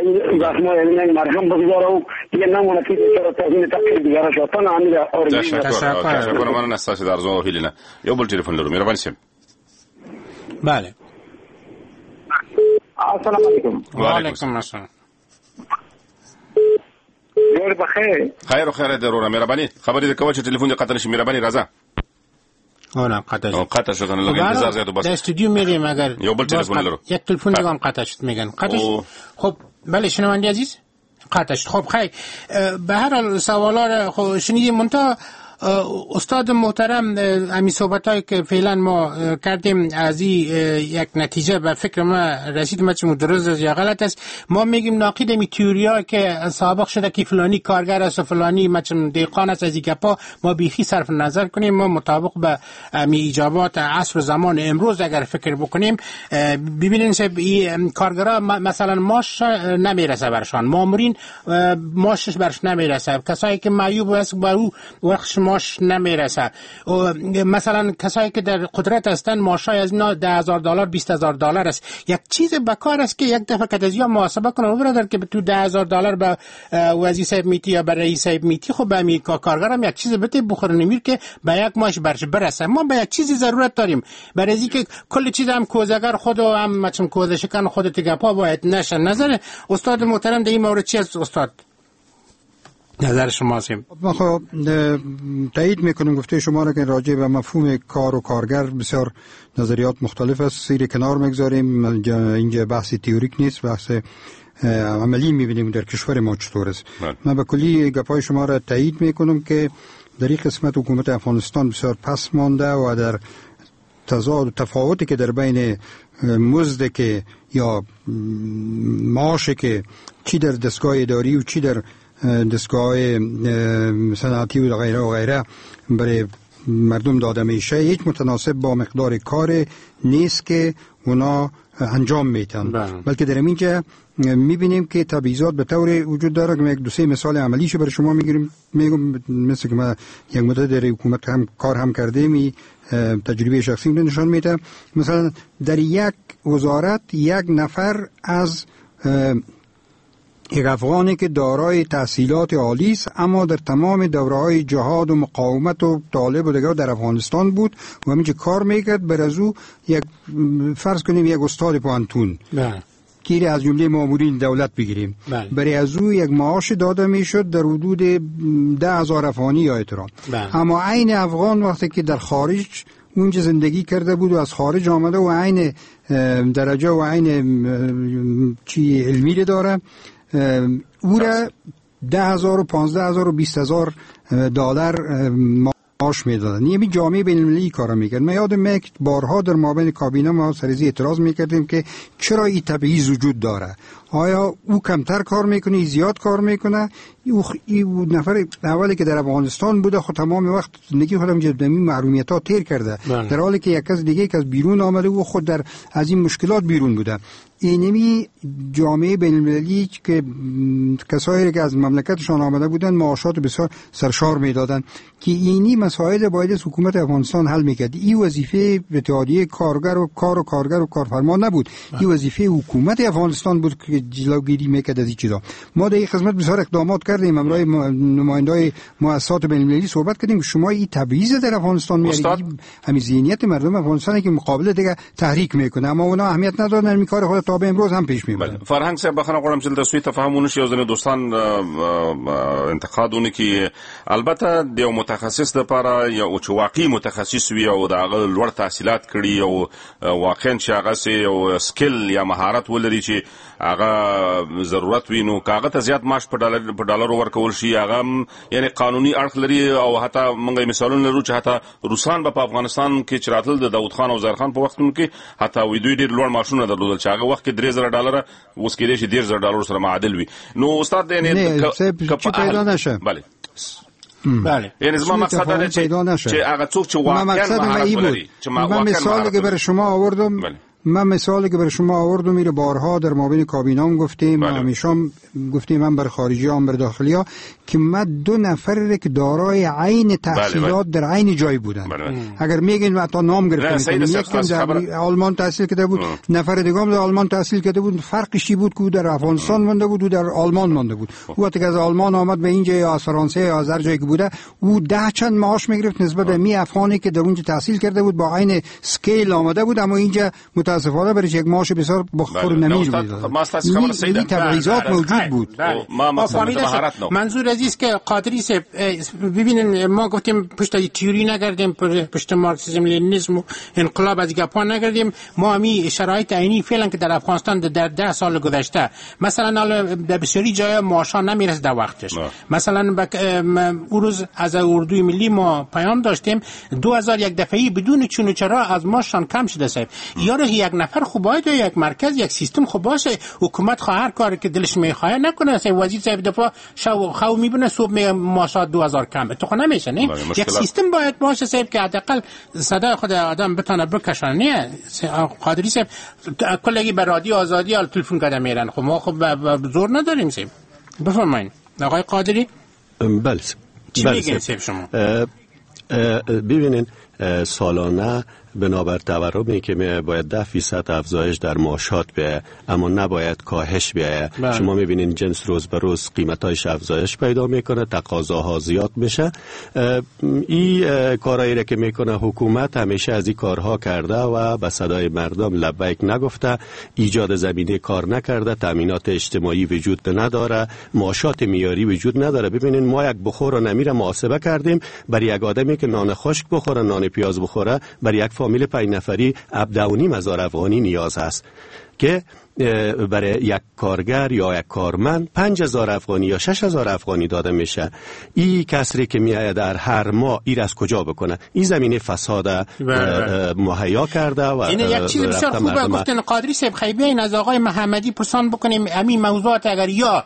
این زخمای این مرهم بگذاره و دیگه نمونه که بیچاره توهین تحقیر دیگران شد. تنها همین آرزوی. تشکر. تشکر. مننه ستاسو د ارزو او هیلې نه. یو بل ټلیفون لرو. مهرباني صاحب. بله. السلام علیکم. وعلیکم السلام. ډېر بخیر. خیر او خیر دی وروره. مهرباني. خبرې دې کوه چې ټلیفون دې قطع نشي. مهرباني راځه. اونم قطع شد. قطع شد. لږ انتظار زیات وباسه. در استودیو میریم اگر یو بل تلفن لرو. یک تلفن دیگه هم قطع شد میگن. قطع شد. خب بله شنونده عزیز قطع شد. خب خیر به هر حال سوالا رو خب شنیدیم. منتها استاد محترم همین صحبتایی که فعلا ما کردیم از این یک نتیجه به فکر ما رسید، ما چه درست است یا غلط است. ما میگیم ناقید می تئوریا که سابق شده که فلانی کارگر است و فلانی مچم دهقان است، از این گپا ما بیخی صرف نظر کنیم. ما مطابق به می ایجابات عصر و زمان امروز اگر فکر بکنیم ببینین این کارگرا مثلا ماش نمیرسه برشان، مامورین ماشش برش نمیرسه، کسایی که معیوب است بر او وقت ماش نمیرسه. مثلا کسایی که در قدرت هستن ماشای از اینا ده هزار دلار بیست هزار دلار است. یک چیز بکار است که یک دفعه که از یا محاسبه کنه برادر که تو ده هزار دلار به وزیر صاحب میتی یا به رئیس صاحب میتی، خب به کارگرم یک چیز بده بخوره نمیر که به یک ماش برش برسه. ما به یک چیزی ضرورت داریم برای اینکه کل چیز هم کوزگر خود و هم مثلا کوزه شکن خود تگپا باید نشه. نظر استاد محترم در این مورد چی است استاد؟ نظر شما هستیم. ما خب تایید میکنم گفته شما را که راجع به مفهوم کار و کارگر بسیار نظریات مختلف است، سیر کنار میگذاریم، اینجا بحث تئوریک نیست، بحث عملی میبینیم در کشور ما چطور است. من به کلی گپای شما را تایید میکنم که در این قسمت حکومت افغانستان بسیار پس مانده و در تضاد و تفاوتی که در بین مزد که یا معاش که چی در دستگاه اداری و چی در دستگاه صنعتی و غیره و غیره برای مردم داده میشه، هیچ متناسب با مقدار کار نیست که اونا انجام میتن. بلکه در اینجا میبینیم که تبعیضات به طور وجود داره که یک دو سه مثال عملیشو برای شما میگیریم، میگم مثل که ما یک مدت در حکومت هم کار هم کردیم، تجربه شخصی رو نشان میده. مثلا در یک وزارت یک نفر از یک افغانی که دارای تحصیلات عالی است اما در تمام دوره‌های جهاد و مقاومت و طالب و دیگر در افغانستان بود و همینجا کار میکرد، بر از او یک فرض کنیم یک استاد پوهنتون که از جمله مامورین دولت بگیریم، بله. برای از او یک معاش داده میشد در حدود ده هزار افغانی یا اطرا. بله. اما عین افغان وقتی که در خارج اونجا زندگی کرده بود و از خارج آمده و عین درجه و عین چی علمی داره، او را ده هزار و پانزده هزار و بیست هزار دلار معاش میدادن. یعنی جامعه بین المللی کارا میکرد. من یادم میاد بارها در مابین کابینه ما سرزی اعتراض میکردیم که چرا این تبعیض وجود داره، آیا او کمتر کار میکنه زیاد کار میکنه؟ او نفر اولی که در افغانستان بوده خود تمام وقت زندگی خودم جدمی محرومیت ها تیر کرده، بله. در حالی که یک کس دیگه که از بیرون آمده و خود در از این مشکلات بیرون بوده. اینمی جامعه بین المللی که کسایی که از مملکتشان آمده بودن معاشات بسیار سرشار میدادن که اینی مسائل باید از حکومت افغانستان حل میکرد. این وظیفه اتحادیه کارگر و کار و کارگر و کارفرما نبود، این وظیفه حکومت افغانستان بود که جلوگیری میکرد از این چیزا. ما در این خدمت بسیار اقدامات کردیم، همراه نمایندای مؤسسات بین المللی صحبت کردیم شما این تبعیض در افغانستان میارید، همین ذهنیت مردم افغانستان که مقابل دیگه تحریک میکنه، اما اونا اهمیت ندادن، این کار خود تا به امروز هم پیش میبرن. فرهنگ صاحب بخنه غواړم چې د سوء تفاهم ونشي، یو ځینې دوستان انتقاد ونه البته د یو متخصص لپاره یو چې واقعي متخصص وي او د هغه لوړ تحصیلات کړي او واقعا چې هغه سي یو skill یا مهارت ولري چې هغه ضرورت وي، نو هغه ته زیات معاش په ډالر په ډالرو ورکول شي، هغه یعنی قانوني اړخ لري. او حتی موږ مثالونه لرو چې حتی روسان به په افغانستان کې چې راتل د داود خان او ظاهر خان په وختونو کې حتی وی دوی ډېر لوړ معاشونه درلودل چې هغه وخت کې درې زره ډالر اوس کېدای شي دېرش زره ډالر سره معادل وي. نو استاد یعنی که پیدا نشه، بله بله، یعنی زما مقصد دا چې چې هغه څوک چې واقعا مهارت ولري، چې ما مثالی که برای شما آوردم، بله. من مثالی که برای شما آوردم میره بارها در مابین کابینام گفتیم، بله. همیشه هم گفتیم، هم بر خارجی هم بر داخلی ها، که ما دو نفر که دارای عین تحصیلات بله بله. در عین جای بودن، بله بله. اگر میگین حتی نام گرفتن، یکی در آلمان تحصیل کرده بود، اه. نفر دیگه هم در آلمان تحصیل کرده بود، فرقش چی بود که او در افغانستان مانده بود و در آلمان مانده بود. او وقتی که از آلمان آمد به اینجا یا از فرانسه یا از هر جایی که بوده، او ده چند معاش میگرفت نسبت به می افغانی که در اونجا تحصیل کرده بود با عین skill آمده بود، اما اینجا متاسفانه برای یک معاش بسیار بخور نمیر میداد. این تبعیضات موجود بود. ما مهارت منظور عزیز که قادری صاحب ببینین، ما گفتیم پشت تئوری نگردیم، پشت مارکسیسم لنینیسم و انقلاب از گپا نگردیم. ما همی شرایط عینی فعلا که در افغانستان در ده سال گذشته مثلا در بسیاری جای معاشا نمیرسه در وقتش. مثلا بک... اون روز از اردوی ملی ما پیام داشتیم دو هزار یک دفعه بدون چون و چرا از ماشان کم شده صاحب. یارو یک نفر خوب باید یک مرکز یک سیستم خوب باشه، حکومت خواه هر کاری که دلش میخواد نکنه. صاحب وزیر صاحب دفعه شو خو میبینه صبح می ماشا دو هزار کم تو خو نمیشه. نه یک سیستم باید باشه صاحب که حداقل صدای خود آدم بتونه بکشانه. نه قادری صاحب کلگی به رادیو آزادی آل تلفن کده میرن، خب ما خب زور نداریم صاحب. بفرمایید آقای قادری. بله چی میگین صاحب شما؟ ببینین سالانه بنابر تورمی که باید ده فیصد افزایش در معاشات بیایه، اما نباید کاهش بیایه. شما میبینین جنس روز به روز قیمتایش افزایش پیدا میکنه، تقاضاها زیاد میشه. این کارهایی را که میکنه حکومت همیشه از این کارها کرده و به صدای مردم لبیک نگفته، ایجاد زمینه کار نکرده، تامینات اجتماعی وجود نداره، معاشات معیاری وجود نداره. ببینین ما یک بخور و نمیره محاسبه کردیم، برای یک آدمی که نان خشک بخوره، نان پیاز بخوره، برای یک فامیل پنج نفری هفده و نیم هزار افغانی نیاز هست که برای یک کارگر یا یک کارمند پنج هزار افغانی یا شش هزار افغانی داده میشه. این کسری که میآید در هر ماه ایر از کجا بکنه؟ این زمینه فساد مهیا کرده و این یک چیز بسیار خوبه گفتن قادری صاحب. خیلی این از آقای محمدی پرسان بکنیم همین موضوعات اگر یا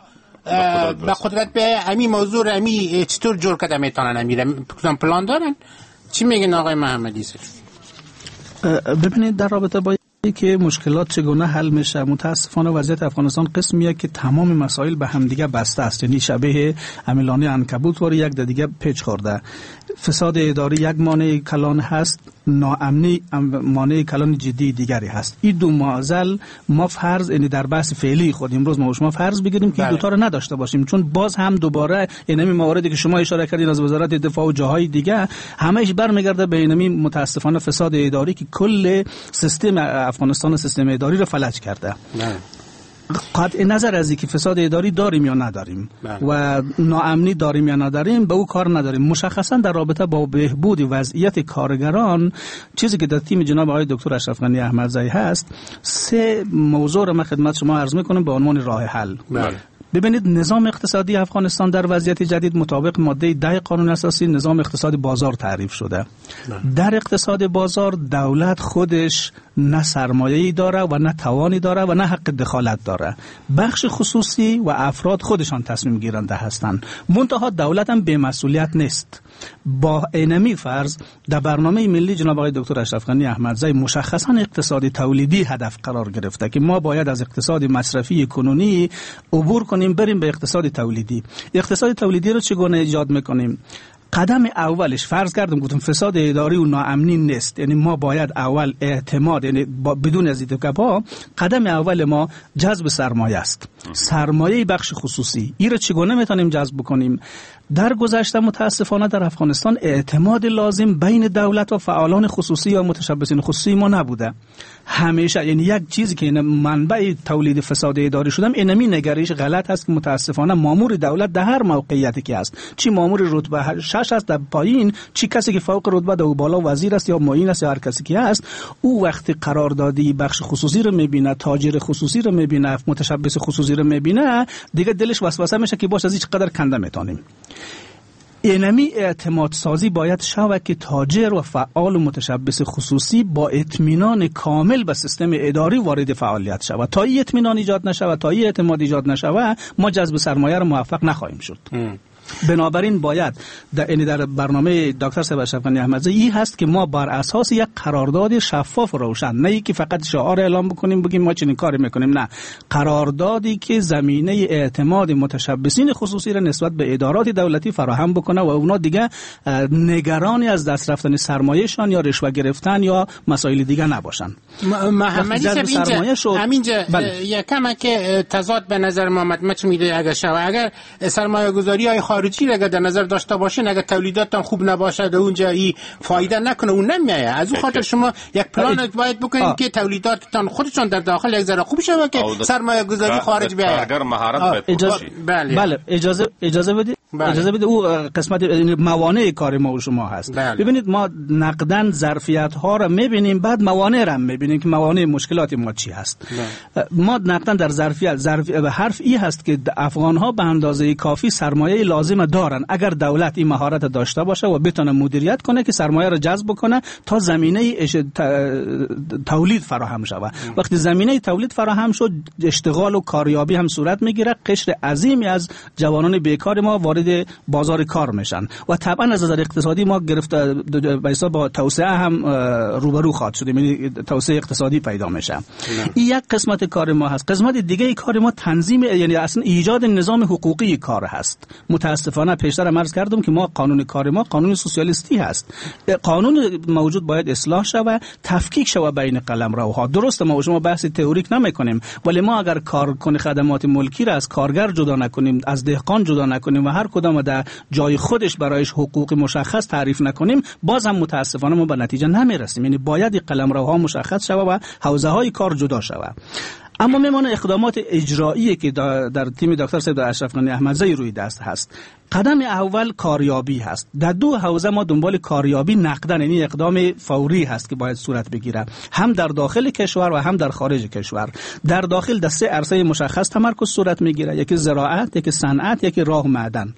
به قدرت به همین موضوع همین چطور جور کرده میتونن، همین پلان دارن؟ چی میگن آقای محمدی صاحب؟ ببینید در رابطه با که مشکلات چگونه حل میشه، متاسفانه وضعیت افغانستان قسمیه که تمام مسائل به همدیگه بسته است، یعنی شبیه عاملانه عنکبوت واری یک دیگه پیچ خورده. فساد اداری یک مانع کلان هست، ناامنی مانع کلان جدی دیگری هست. این دو معضل ما فرض، یعنی در بحث فعلی خود امروز ما شما فرض بگیریم که این دو تا رو نداشته باشیم، چون باز هم دوباره اینمی مواردی که شما اشاره کردین از وزارت دفاع و جاهای دیگه همه‌اش برمیگرده به اینمی متاسفانه فساد اداری که کل سیستم افغانستان، سیستم اداری رو فلج کرده. نه. قطع نظر از اینکه فساد اداری داریم یا نداریم و ناامنی داریم یا نداریم به او کار نداریم. مشخصا در رابطه با بهبود وضعیت کارگران، چیزی که در تیم جناب آقای دکتر اشرف غنی احمدزی هست، سه موضوع رو من خدمت شما عرض میکنم به عنوان راه حل. بله. ببینید نظام اقتصادی افغانستان در وضعیت جدید مطابق ماده ده قانون اساسی نظام اقتصاد بازار تعریف شده. در اقتصاد بازار دولت خودش نه سرمایه‌ای داره و نه توانی داره و نه حق دخالت داره. بخش خصوصی و افراد خودشان تصمیم گیرنده هستند. منتها دولت هم بی‌مسئولیت نیست. با اینمی فرض در برنامه ملی جناب آقای دکتر اشرف غنی احمدزی مشخصا اقتصاد تولیدی هدف قرار گرفته که ما باید از اقتصاد مصرفی کنونی عبور کنیم بریم به اقتصاد تولیدی. اقتصاد تولیدی رو چگونه ایجاد میکنیم؟ قدم اولش فرض کردم گفتم فساد اداری و ناامنی نیست، یعنی ما باید اول اعتماد، یعنی بدون از این گپا قدم اول ما جذب سرمایه است، سرمایه بخش خصوصی. این رو چگونه میتونیم جذب بکنیم؟ در گذشته متاسفانه در افغانستان اعتماد لازم بین دولت و فعالان خصوصی یا متشبثین خصوصی ما نبوده همیشه. یعنی یک چیزی که منبع تولید فساد اداری شدم اینمی نگرش غلط است که متاسفانه مامور دولت در هر موقعیتی که است، چی مامور رتبه شش است در پایین، چی کسی که فوق رتبه در بالا وزیر است یا معین است یا هر کسی که است، او وقتی قراردادی بخش خصوصی رو میبینه، تاجر خصوصی رو میبینه، متشبث خصوصی رو میبینه، دیگه دلش وسوسه میشه که باش از هیچ قدر کنده میتونیم. اینمی اعتماد سازی باید شود که تاجر و فعال و متشبث خصوصی با اطمینان کامل به سیستم اداری وارد فعالیت شود. تا این اطمینان ایجاد نشود، تا این اعتماد ایجاد نشود، ما جذب سرمایه را موفق نخواهیم شد. ام. بنابراین باید در یعنی در برنامه دکتر صاحب اشرف غنی احمدزی این هست که ما بر اساس یک قرارداد شفاف و روشن، نه اینکه فقط شعار اعلام بکنیم بگیم ما چنین کاری میکنیم، نه، قراردادی که زمینه اعتماد متشبثین خصوصی را نسبت به ادارات دولتی فراهم بکنه و اونا دیگه نگرانی از دست رفتن سرمایه‌شان یا رشوه گرفتن یا مسائل دیگه نباشن. محمدی صاحب اینجا همینجا یکم که تضاد به نظر محمد مچ میده اگر شو اگر سرمایه‌گذاری‌های خارجی اگر در نظر داشته باشین، اگر تولیداتتان خوب نباشد اونجا ای فایده نکنه اون نمیایه. از اون خاطر شما یک پلان باید بکنید که تولیداتتان خودشان در داخل یک ذره خوب شود که سرمایه گذاری خارج بیاید. اگر مهارت باید اجازه بله. بله اجازه اجازه بدید بله. اجازه بدید او قسمت موانع کار ما و شما هست. بله. ببینید ما نقدن ظرفیت ها را میبینیم، بعد موانع را میبینیم که موانع مشکلات ما چی هست. بله. ما نقدن در ظرفیت ظرف حرف ای هست که افغان ها به اندازه کافی سرمایه لازم دارن اگر دولت این مهارت داشته باشه و بتونه مدیریت کنه که سرمایه را جذب کنه تا زمینه اش... تولید فراهم شود. وقتی زمینه تولید فراهم شد، اشتغال و کاریابی هم صورت میگیره. قشر عظیمی از جوانان بیکار ما وارد وارد بازار کار میشن و طبعا از نظر اقتصادی ما گرفت به حساب با توسعه هم روبرو خواهد شد، یعنی توسعه اقتصادی پیدا میشه. این یک قسمت کار ما هست. قسمت دیگه کار ما تنظیم، یعنی اصلا ایجاد نظام حقوقی کار هست. متاسفانه پیشتر عرض کردم که ما قانون کار ما قانون سوسیالیستی هست. قانون موجود باید اصلاح شود، تفکیک شود بین قلمروها. درست ما و شما بحث تئوریک نمیکنیم، ولی ما اگر کارکن خدمات ملکی را از کارگر جدا نکنیم، از دهقان جدا نکنیم و هر کدام در جای خودش برایش حقوق مشخص تعریف نکنیم، باز هم متاسفانه ما به نتیجه نمیرسیم. یعنی باید قلمروها مشخص شود و حوزه های کار جدا شود. اما میمانه اقدامات اجرایی که در تیم دکتر سید اشرف غنی احمدزی روی دست هست. قدم اول کاریابی هست. در دو حوزه ما دنبال کاریابی نقدن، یعنی اقدام فوری هست که باید صورت بگیره، هم در داخل کشور و هم در خارج کشور. در داخل در سه عرصه مشخص تمرکز صورت میگیره، یکی زراعت، یکی صنعت، یکی راه و معدن.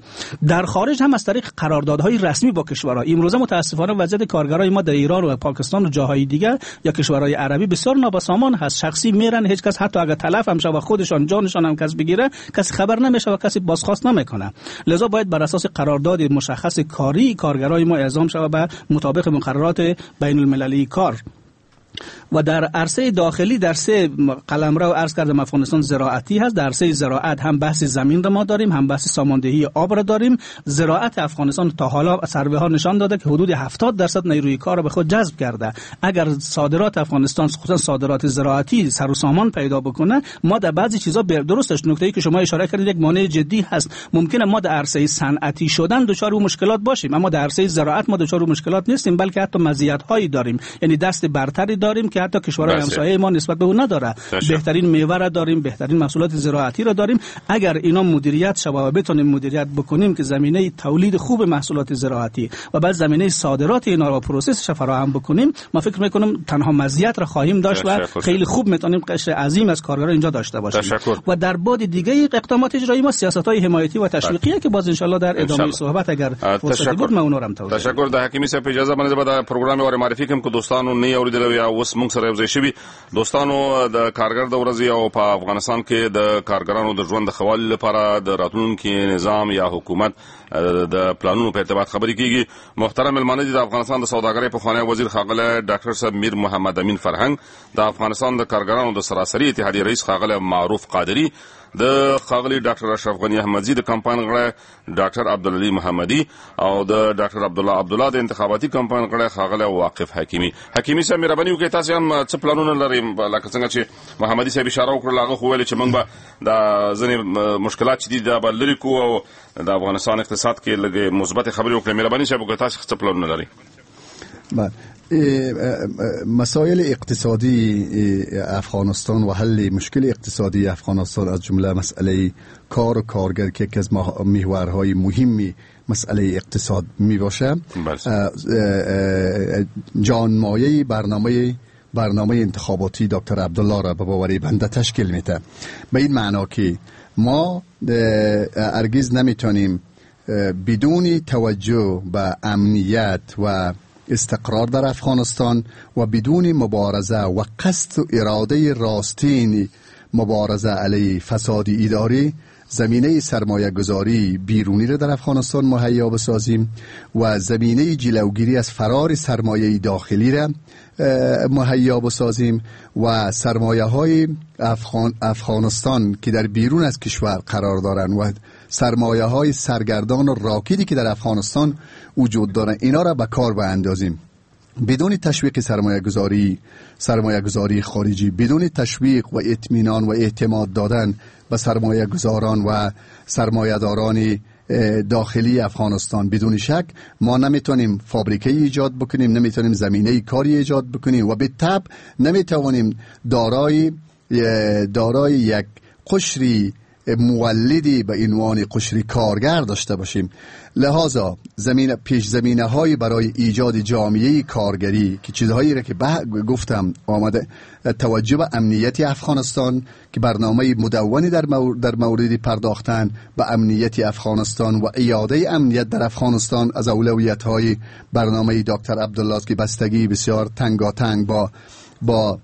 در خارج هم از طریق قراردادهای رسمی با کشورها. امروزه متاسفانه وضعیت کارگرای ما در ایران و پاکستان و جاهای دیگر یا کشورهای عربی بسیار نابسامان هست. شخصی میرن، هیچ کس حتی اگر تلف هم شه و خودشان جانشان هم کس بگیره، کسی خبر نمیشه و کسی بازخواست نمیکنه. لذا باید بر اساس قرارداد مشخص کاری کارگرای ما اعزام شود به مطابق مقررات بین المللی کار. و در عرصه داخلی در سه قلمرو عرض کردم افغانستان زراعتی هست. در عرصه زراعت هم بحث زمین را ما داریم، هم بحث ساماندهی آب را داریم. زراعت افغانستان تا حالا سروه ها نشان داده که حدود هفتاد درصد نیروی کار را به خود جذب کرده. اگر صادرات افغانستان خصوصا صادرات زراعتی سر و سامان پیدا بکنه، ما در بعضی چیزا درستش نکته‌ای که شما اشاره کردید یک مانع جدی هست. ممکنه ما در عرصه صنعتی شدن دچار مشکلات باشیم، اما در عرصه زراعت ما دچار مشکلات نیستیم، بلکه حتی مزیت‌هایی داریم، یعنی دست برتری داریم که حتی کشورهای همسایه ما نسبت به اون نداره. بهترین میوه را داریم، بهترین محصولات زراعتی را داریم. اگر اینا مدیریت شود و بتونیم مدیریت بکنیم که زمینه تولید خوب محصولات زراعتی و بعد زمینه صادرات اینا را process ش فراهم بکنیم، ما فکر میکنم تنها مزیت را خواهیم داشت و خیلی خوب میتونیم قشر عظیم از کارگران اینجا داشته باشیم. تشکر. و در بعد دیگه اقدامات اجرایی ما سیاست‌های حمایتی و تشویقیه که باز ان شاء الله در ادامه صحبت اگر فرصتی بود ما اونها را هم توضیح. تشکر. د حکیمی صاحب اجازه باندې به د پروګرام ور معرفي کوم که دوستانو نه اوریدل یا اوس موږ سره یوځای شوي. دوستانو د کارګر د ورځې او په افغانستان کې د کارګرانو د ژوند د ښه والي لپاره د راتلونکي نظام یا حکومت د پلانونو په ارتباط خبرې کیږي. محترم مېلمانه دي د افغانستان د سوداګرۍ پخوانی وزیر ښاغلی ډاکټر صاحب میر محمد امین فرهنګ، د افغانستان د کارګرانو د سراسري اتحادیې رئیس ښاغلی معروف قادري، د ښاغلي ډاکټر اشرف غني احمدزي د کمپاین غړی ډاکټر عبدالعلي محمدي او د ډاکټر عبدالله عبدالله د انتخاباتي کمپاین غړی ښاغلی واقف حکیمي. حکیمي صاحب مهرباني وکړئ، تاسو هم څه پلانونه لرئ؟ لکه څنګه چې محمدي صاحب اشاره وکړه، هغه خو ویل چې موږ به دا ځینې مشکلات چې دي دا به لرې کړو او د افغانستان اقتصاد کې لږې مثبتې خبرې وکړئ. مهرباني صاحب وکړئ، تاسو څه پلانونه لرئ؟ بله، مسائل اقتصادی افغانستان و حل مشکل اقتصادی افغانستان از جمله مسئله کار و کارگر که یکی از محورهای مهمی مسئله اقتصاد می باشه، جانمایه برنامه برنامه انتخاباتی دکتر عبدالله را به باور بنده تشکیل میده. به این معنا که ما هرگز نمیتونیم بدون توجه به امنیت و استقرار در افغانستان و بدون مبارزه و قصد و اراده راستین مبارزه علیه فساد اداری زمینه سرمایه گذاری بیرونی را در افغانستان مهیا بسازیم و زمینه جلوگیری از فرار سرمایه داخلی را مهیا بسازیم و سرمایه های افغان افغانستان که در بیرون از کشور قرار دارند و سرمایه های سرگردان و راکدی که در افغانستان وجود دارند اینا را به کار باندازیم. بدون تشویق سرمایه گذاری سرمایه گذاری خارجی، بدون تشویق و اطمینان و اعتماد دادن به سرمایه گذاران و سرمایه داران داخلی افغانستان، بدون شک ما نمیتونیم فابریکه ایجاد بکنیم، نمیتونیم زمینه کاری ایجاد بکنیم و به تبع نمیتوانیم دارای دارای یک قشری مولدی به عنوان قشری کارگر داشته باشیم. لذا زمین پیش زمینه های برای ایجاد جامعه کارگری که چیزهایی را که گفتم آمده، توجه به امنیت افغانستان که برنامه مدونی در مورد, در مورد پرداختن به امنیت افغانستان و ایاده امنیت در افغانستان از اولویت های برنامه دکتر عبدالله است که بستگی بسیار تنگاتنگ با با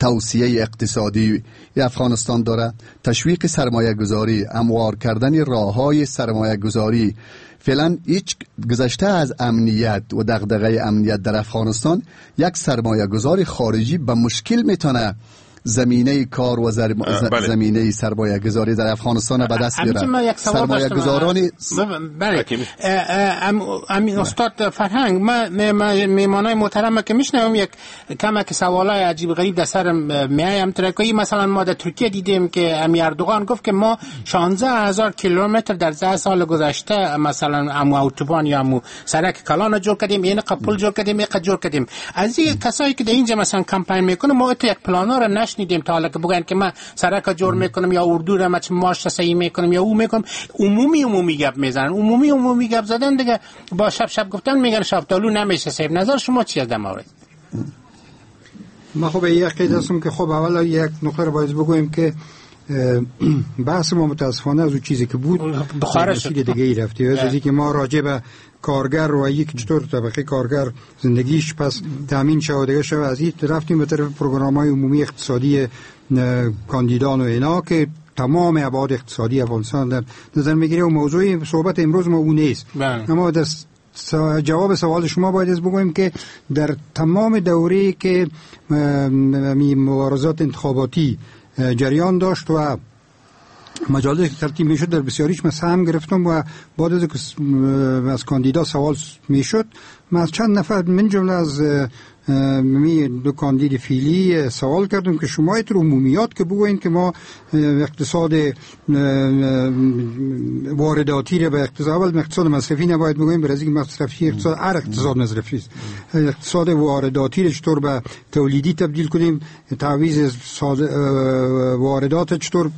توسعه اقتصادی افغانستان داره، تشویق سرمایه گذاری، هموار کردن راه‌های سرمایه گذاری. فعلا هیچ گذشته از امنیت و دغدغه امنیت در افغانستان، یک سرمایه گذار خارجی به مشکل میتونه زمینه کار و زر... بله. زمینه سرمایه گذاری در افغانستان به دست بیاره. سرمایه گذاران بله. امین استاد فرهنگ، ما میمانای محترم که میشنوم یک کمک سوالای عجیب غریب در سر میایم ترکیه. مثلا ما در ترکیه دیدیم که امی اردوغان گفت که ما شانزده هزار کیلومتر در ده سال گذشته مثلا امو اتوبان یا امو سرک کلان جور کردیم، این قپل جور کردیم، این جور کردیم. از این کسایی که در اینجا مثلا کمپین میکنه، ما یک پلانا را نشنیدیم تا حالا که بگن که من سرک جور میکنم یا اردو را مچ ماش صحیح میکنم یا او میکنم. عمومی عمومی گپ میزنن، عمومی عمومی گپ زدن دیگه با شب شب گفتن میگن شفتالو نمیشه. صاحب نظر شما چی از در مورد؟ ما خب یک قید هستم که خب اولا یک نکته رو باید بگوییم که بحث ما متاسفانه از اون چیزی که بود بخار شد دیگه ای رفتی. از اینکه ما راجع به کارگر و یک چطور طبقه کارگر زندگیش پس تامین شود دیگه شود، از این رفتیم به طرف پروگرام‌های عمومی اقتصادی کاندیدان و اینا که تمام ابعاد اقتصادی افغانستان در نظر میگیره و موضوع صحبت امروز ما اون نیست. اما در جواب سوال شما باید از بگوییم که در تمام دوره‌ای که مبارزات انتخاباتی جریان داشت و مجالس که ترتیب میشد، در بسیاریش من سهم گرفتم و بعد از از کاندیدا سوال میشد، من از چند نفر من جمله از می دو کاندید فعلی سوال کردم که شما ایتر عمومیات که بگوین که ما اقتصاد وارداتی را به اقتصاد اول اقتصاد مصرفی نباید بگوییم، برای اینکه مصرفی اقتصاد هر اقتصاد مصرفی است. اقتصاد وارداتی را چطور به تولیدی تبدیل کنیم، تعویض واردات چطور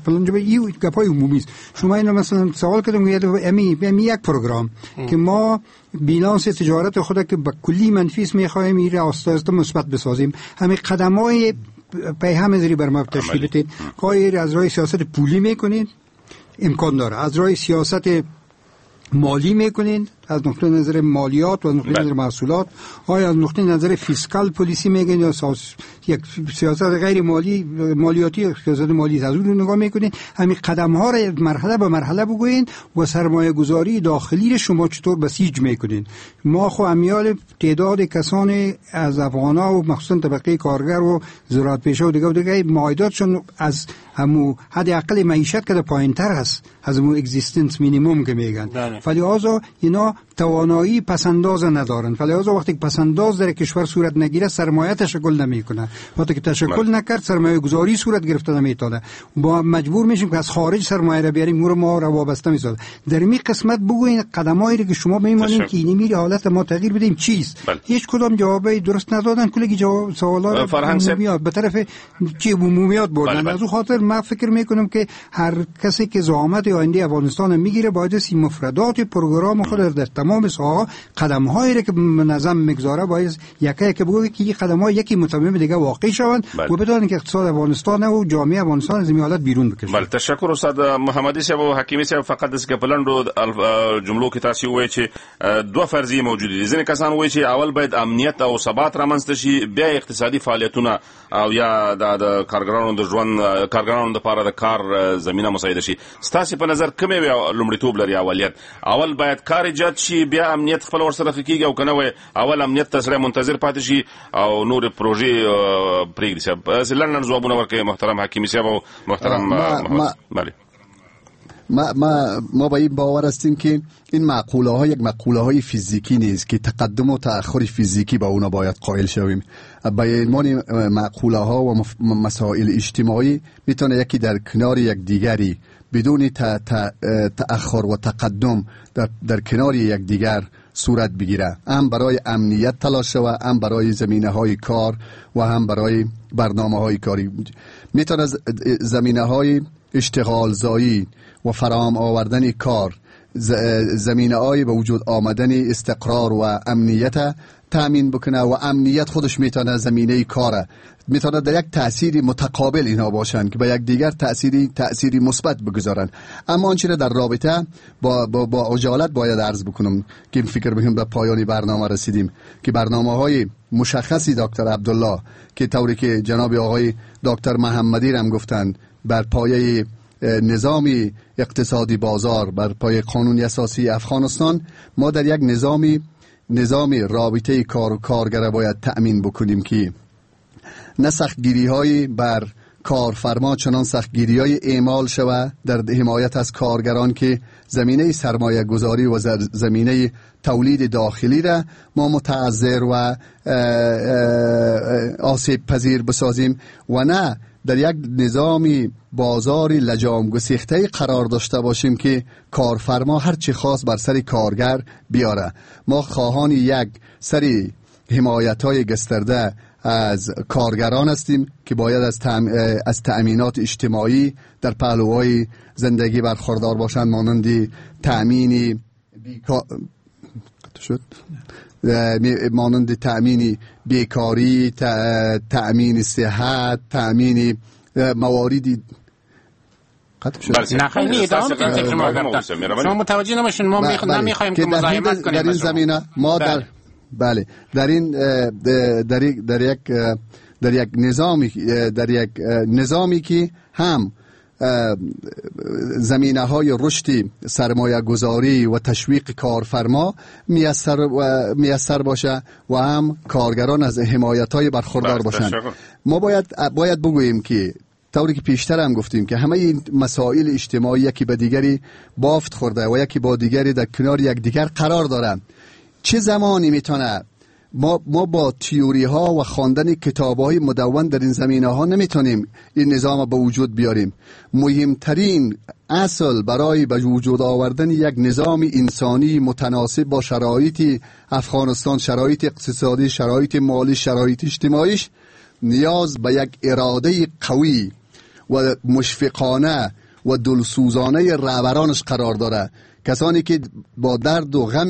فلان جا، این گپای عمومی است. شما اینو مثلا سوال کردم که امی امی یک پروگرام که ما بیلانس تجارت خود که به کلی منفی است میخواهیم این را آسته آسته مثبت بسازیم، همین قدم‌های پی هم زری بر ما تشکیل بدید. کاری از راه سیاست پولی میکنید امکان داره، از راه سیاست مالی میکنین از نقطه نظر مالیات و از نقطه نظر محصولات، آیا از نقطه نظر fiscal policy میگن یا ساس... یک سیاست غیر مالی مالیاتی سیاست مالی از اون نگاه میکنین. همین قدم ها را مرحله به مرحله بگوین و سرمایه گذاری داخلی را شما چطور بسیج میکنین. ما خو امیال تعداد کسان از افغانا و مخصوصا طبقه کارگر و زراعت پیشه و دیگه و دیگه معایداتشون از همو حد اقل معیشت که پایینتر هست، از همو existence minimum که میگن، فلهذا اینا توانایی پسنداز ندارند. فلهذا وقتی که پسنداز در کشور صورت نگیره سرمایه تشکل نمیکنه، وقتی که تشکل نکرد سرمایه گذاری صورت گرفته نمیتونه، با مجبور میشیم که از خارج سرمایه را بیاریم، رو ما را وابسته میسازه. در این قسمت بگوین قدمایی که شما میمانین که اینی میری حالت ما تغییر بدیم چیست. بله. هیچ کدام جواب درست ندادن، کلی جواب سوالا عمومیات به طرف چی عمومیات بردن. بله. از اون خاطر من فکر میکنم که هر کسی که زعامت آینده افغانستان میگیره باید سی مفردات پروگرام خود در تمام ساحه قدم هایی را که منظم میگذاره باید یکی یکی بگه که این قدم ها یکی متمم دیگه واقع شوند و بدانند که اقتصاد افغانستان و جامعه افغانستان از این حالت بیرون بکشه. بله، تشکر استاد محمدي صاحب او حکیمي صاحب. فقط داسې که په لنډو جملو کې تاسو ووایئ چې دوه فرضیې موجودې دي. ځینې کسان وایي چې اول باید امنیت او ثبات رامنځته شي، بیا اقتصادي فعالیتونه او یا د کارګرانو د ژوند کارګرانو لپاره د کار زمینه مساعده شي. ستاسو په نظر کومه لومړیتوب لري؟ اولیت اول باید کار ایجاد شي بیا امنیت خپل ورسره ښه کېږي، او که نه وایي اول امنیت ته سړی منتظر پاتې شي او نور پروژې پرېږدي؟ صاحب داسې لنډ لنډ ځوابونه ورکوي محترم حکیمي صاحب او محترم محمد. بله، ما ما ما با این باور هستیم که این مقوله ها یک مقوله های فیزیکی نیست که تقدم و تأخر فیزیکی با اونا باید قائل شویم. با عنوان مقوله ها و مسائل اجتماعی میتونه یکی در کنار یک دیگری بدون تأخر و تقدم در, در کنار یک دیگر صورت بگیره، هم برای امنیت تلاش و هم برای زمینه های کار و هم برای برنامه های کاری. میتونه زمینه های اشتغال زایی و فراهم آوردن کار، زمینه های به وجود آمدن استقرار و امنیت تأمین بکنه و امنیت خودش میتونه زمینه کاره، میتونه در یک تأثیر متقابل اینها باشن که به یک دیگر تأثیری تأثیری مثبت بگذارن. اما آنچه را در رابطه با با, با عجالت باید عرض بکنم که فکر میکنم به پایان برنامه رسیدیم که برنامه‌های مشخصی دکتر عبدالله که طوری که جناب آقای دکتر محمدی هم گفتند بر پایه نظام اقتصادی بازار، بر پایه قانون اساسی افغانستان، ما در یک نظامی نظام رابطه کار و کارگر باید تأمین بکنیم که نه سختگیری های بر کارفرما چنان سختگیری های اعمال شود در حمایت از کارگران که زمینه سرمایه گذاری و زمینه تولید داخلی را ما متعذر و آسیب پذیر بسازیم و نه در یک نظامی بازاری لجام گسیخته قرار داشته باشیم که کارفرما هر چی خواست بر سر کارگر بیاره. ما خواهان یک سری حمایت های گسترده از کارگران هستیم که باید از, تأم... از تأمینات اجتماعی در پهلوهای زندگی برخوردار باشند، مانند تأمین بیکا... شد مانند تأمین بیکاری، تأمین صحت، تأمین مواردی. نه خیلی ادامه شما متوجه نمیشین، ما نمیخوایم که مزاحمت کنیم در این زمینه. ما در بله در این در در یک در یک نظامی در یک نظامی که هم زمینه های رشد سرمایه گذاری و تشویق کارفرما میسر و میسر باشه و هم کارگران از حمایت های برخوردار باشند. ما باید باید بگوییم که طوری که پیشتر هم گفتیم که همه این مسائل اجتماعی یکی به دیگری بافت خورده و یکی با دیگری در کنار یکدیگر قرار دارند. چه زمانی میتونه ما ما با تئوری ها و خواندن کتاب های مدون در این زمینه ها نمیتونیم این نظام به وجود بیاریم. مهمترین اصل برای به وجود آوردن یک نظام انسانی متناسب با شرایط افغانستان، شرایط اقتصادی، شرایط مالی، شرایط اجتماعیش، نیاز به یک اراده قوی و مشفقانه و دلسوزانه رهبرانش قرار داره. کسانی که با درد و غم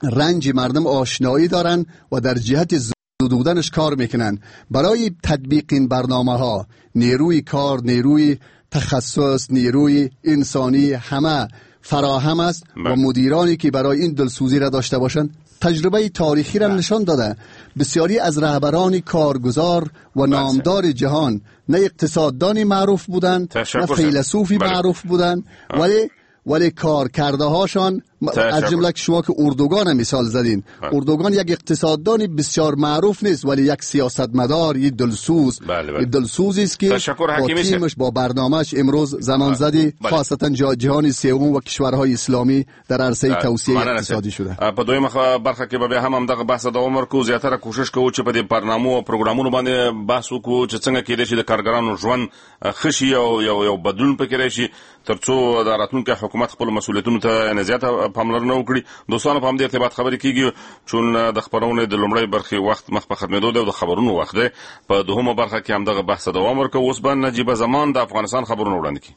رنج مردم آشنایی دارن و در جهت زدودنش کار میکنن. برای تطبیق این برنامه ها نیروی کار، نیروی تخصص، نیروی انسانی همه فراهم است و مدیرانی که برای این دلسوزی را داشته باشند. تجربه تاریخی را نشان داده بسیاری از رهبران کارگزار و نامدار جهان نه اقتصاددانی معروف بودند، نه فیلسوفی معروف بودند، ولی ولی کار کرده هاشان از جمله که شما که اردوغان مثال زدین، اردوغان یک اقتصاددان بسیار معروف نیست ولی یک سیاستمدار، یک دلسوز، بله بله. دلسوزی است که با تیمش، با برنامهش امروز زمان زدی خاصتا جهان سوم و کشورهای اسلامی در عرصه توسعه اقتصادی شده. په دویمه برخه کې به بیا هم همدغه بحث دوام ورکړو. زیاتره کوشش کوو چې په دې برنامو او پروګرامونو باندې بحث وکړو چې څنګه کېدای شي د کارګرانو ژوند ښه شي او یو یو بدلون پکې راشي ترڅو د راتلونکي حکومت خپل مسؤلیتونو ته زیاته پاملرنه وکړي. دوستانو په همدې ارتباط خبرې کیږي چون د خپرونې د لومړۍ برخې وخت مخ په ختمېدو دی او د خبرونو وخت دی. په دوهمه برخه کې همدغه بحث دوام ورکوو. اوس به نجیبه زمان د افغانستان خبرونه وړاندې کړي.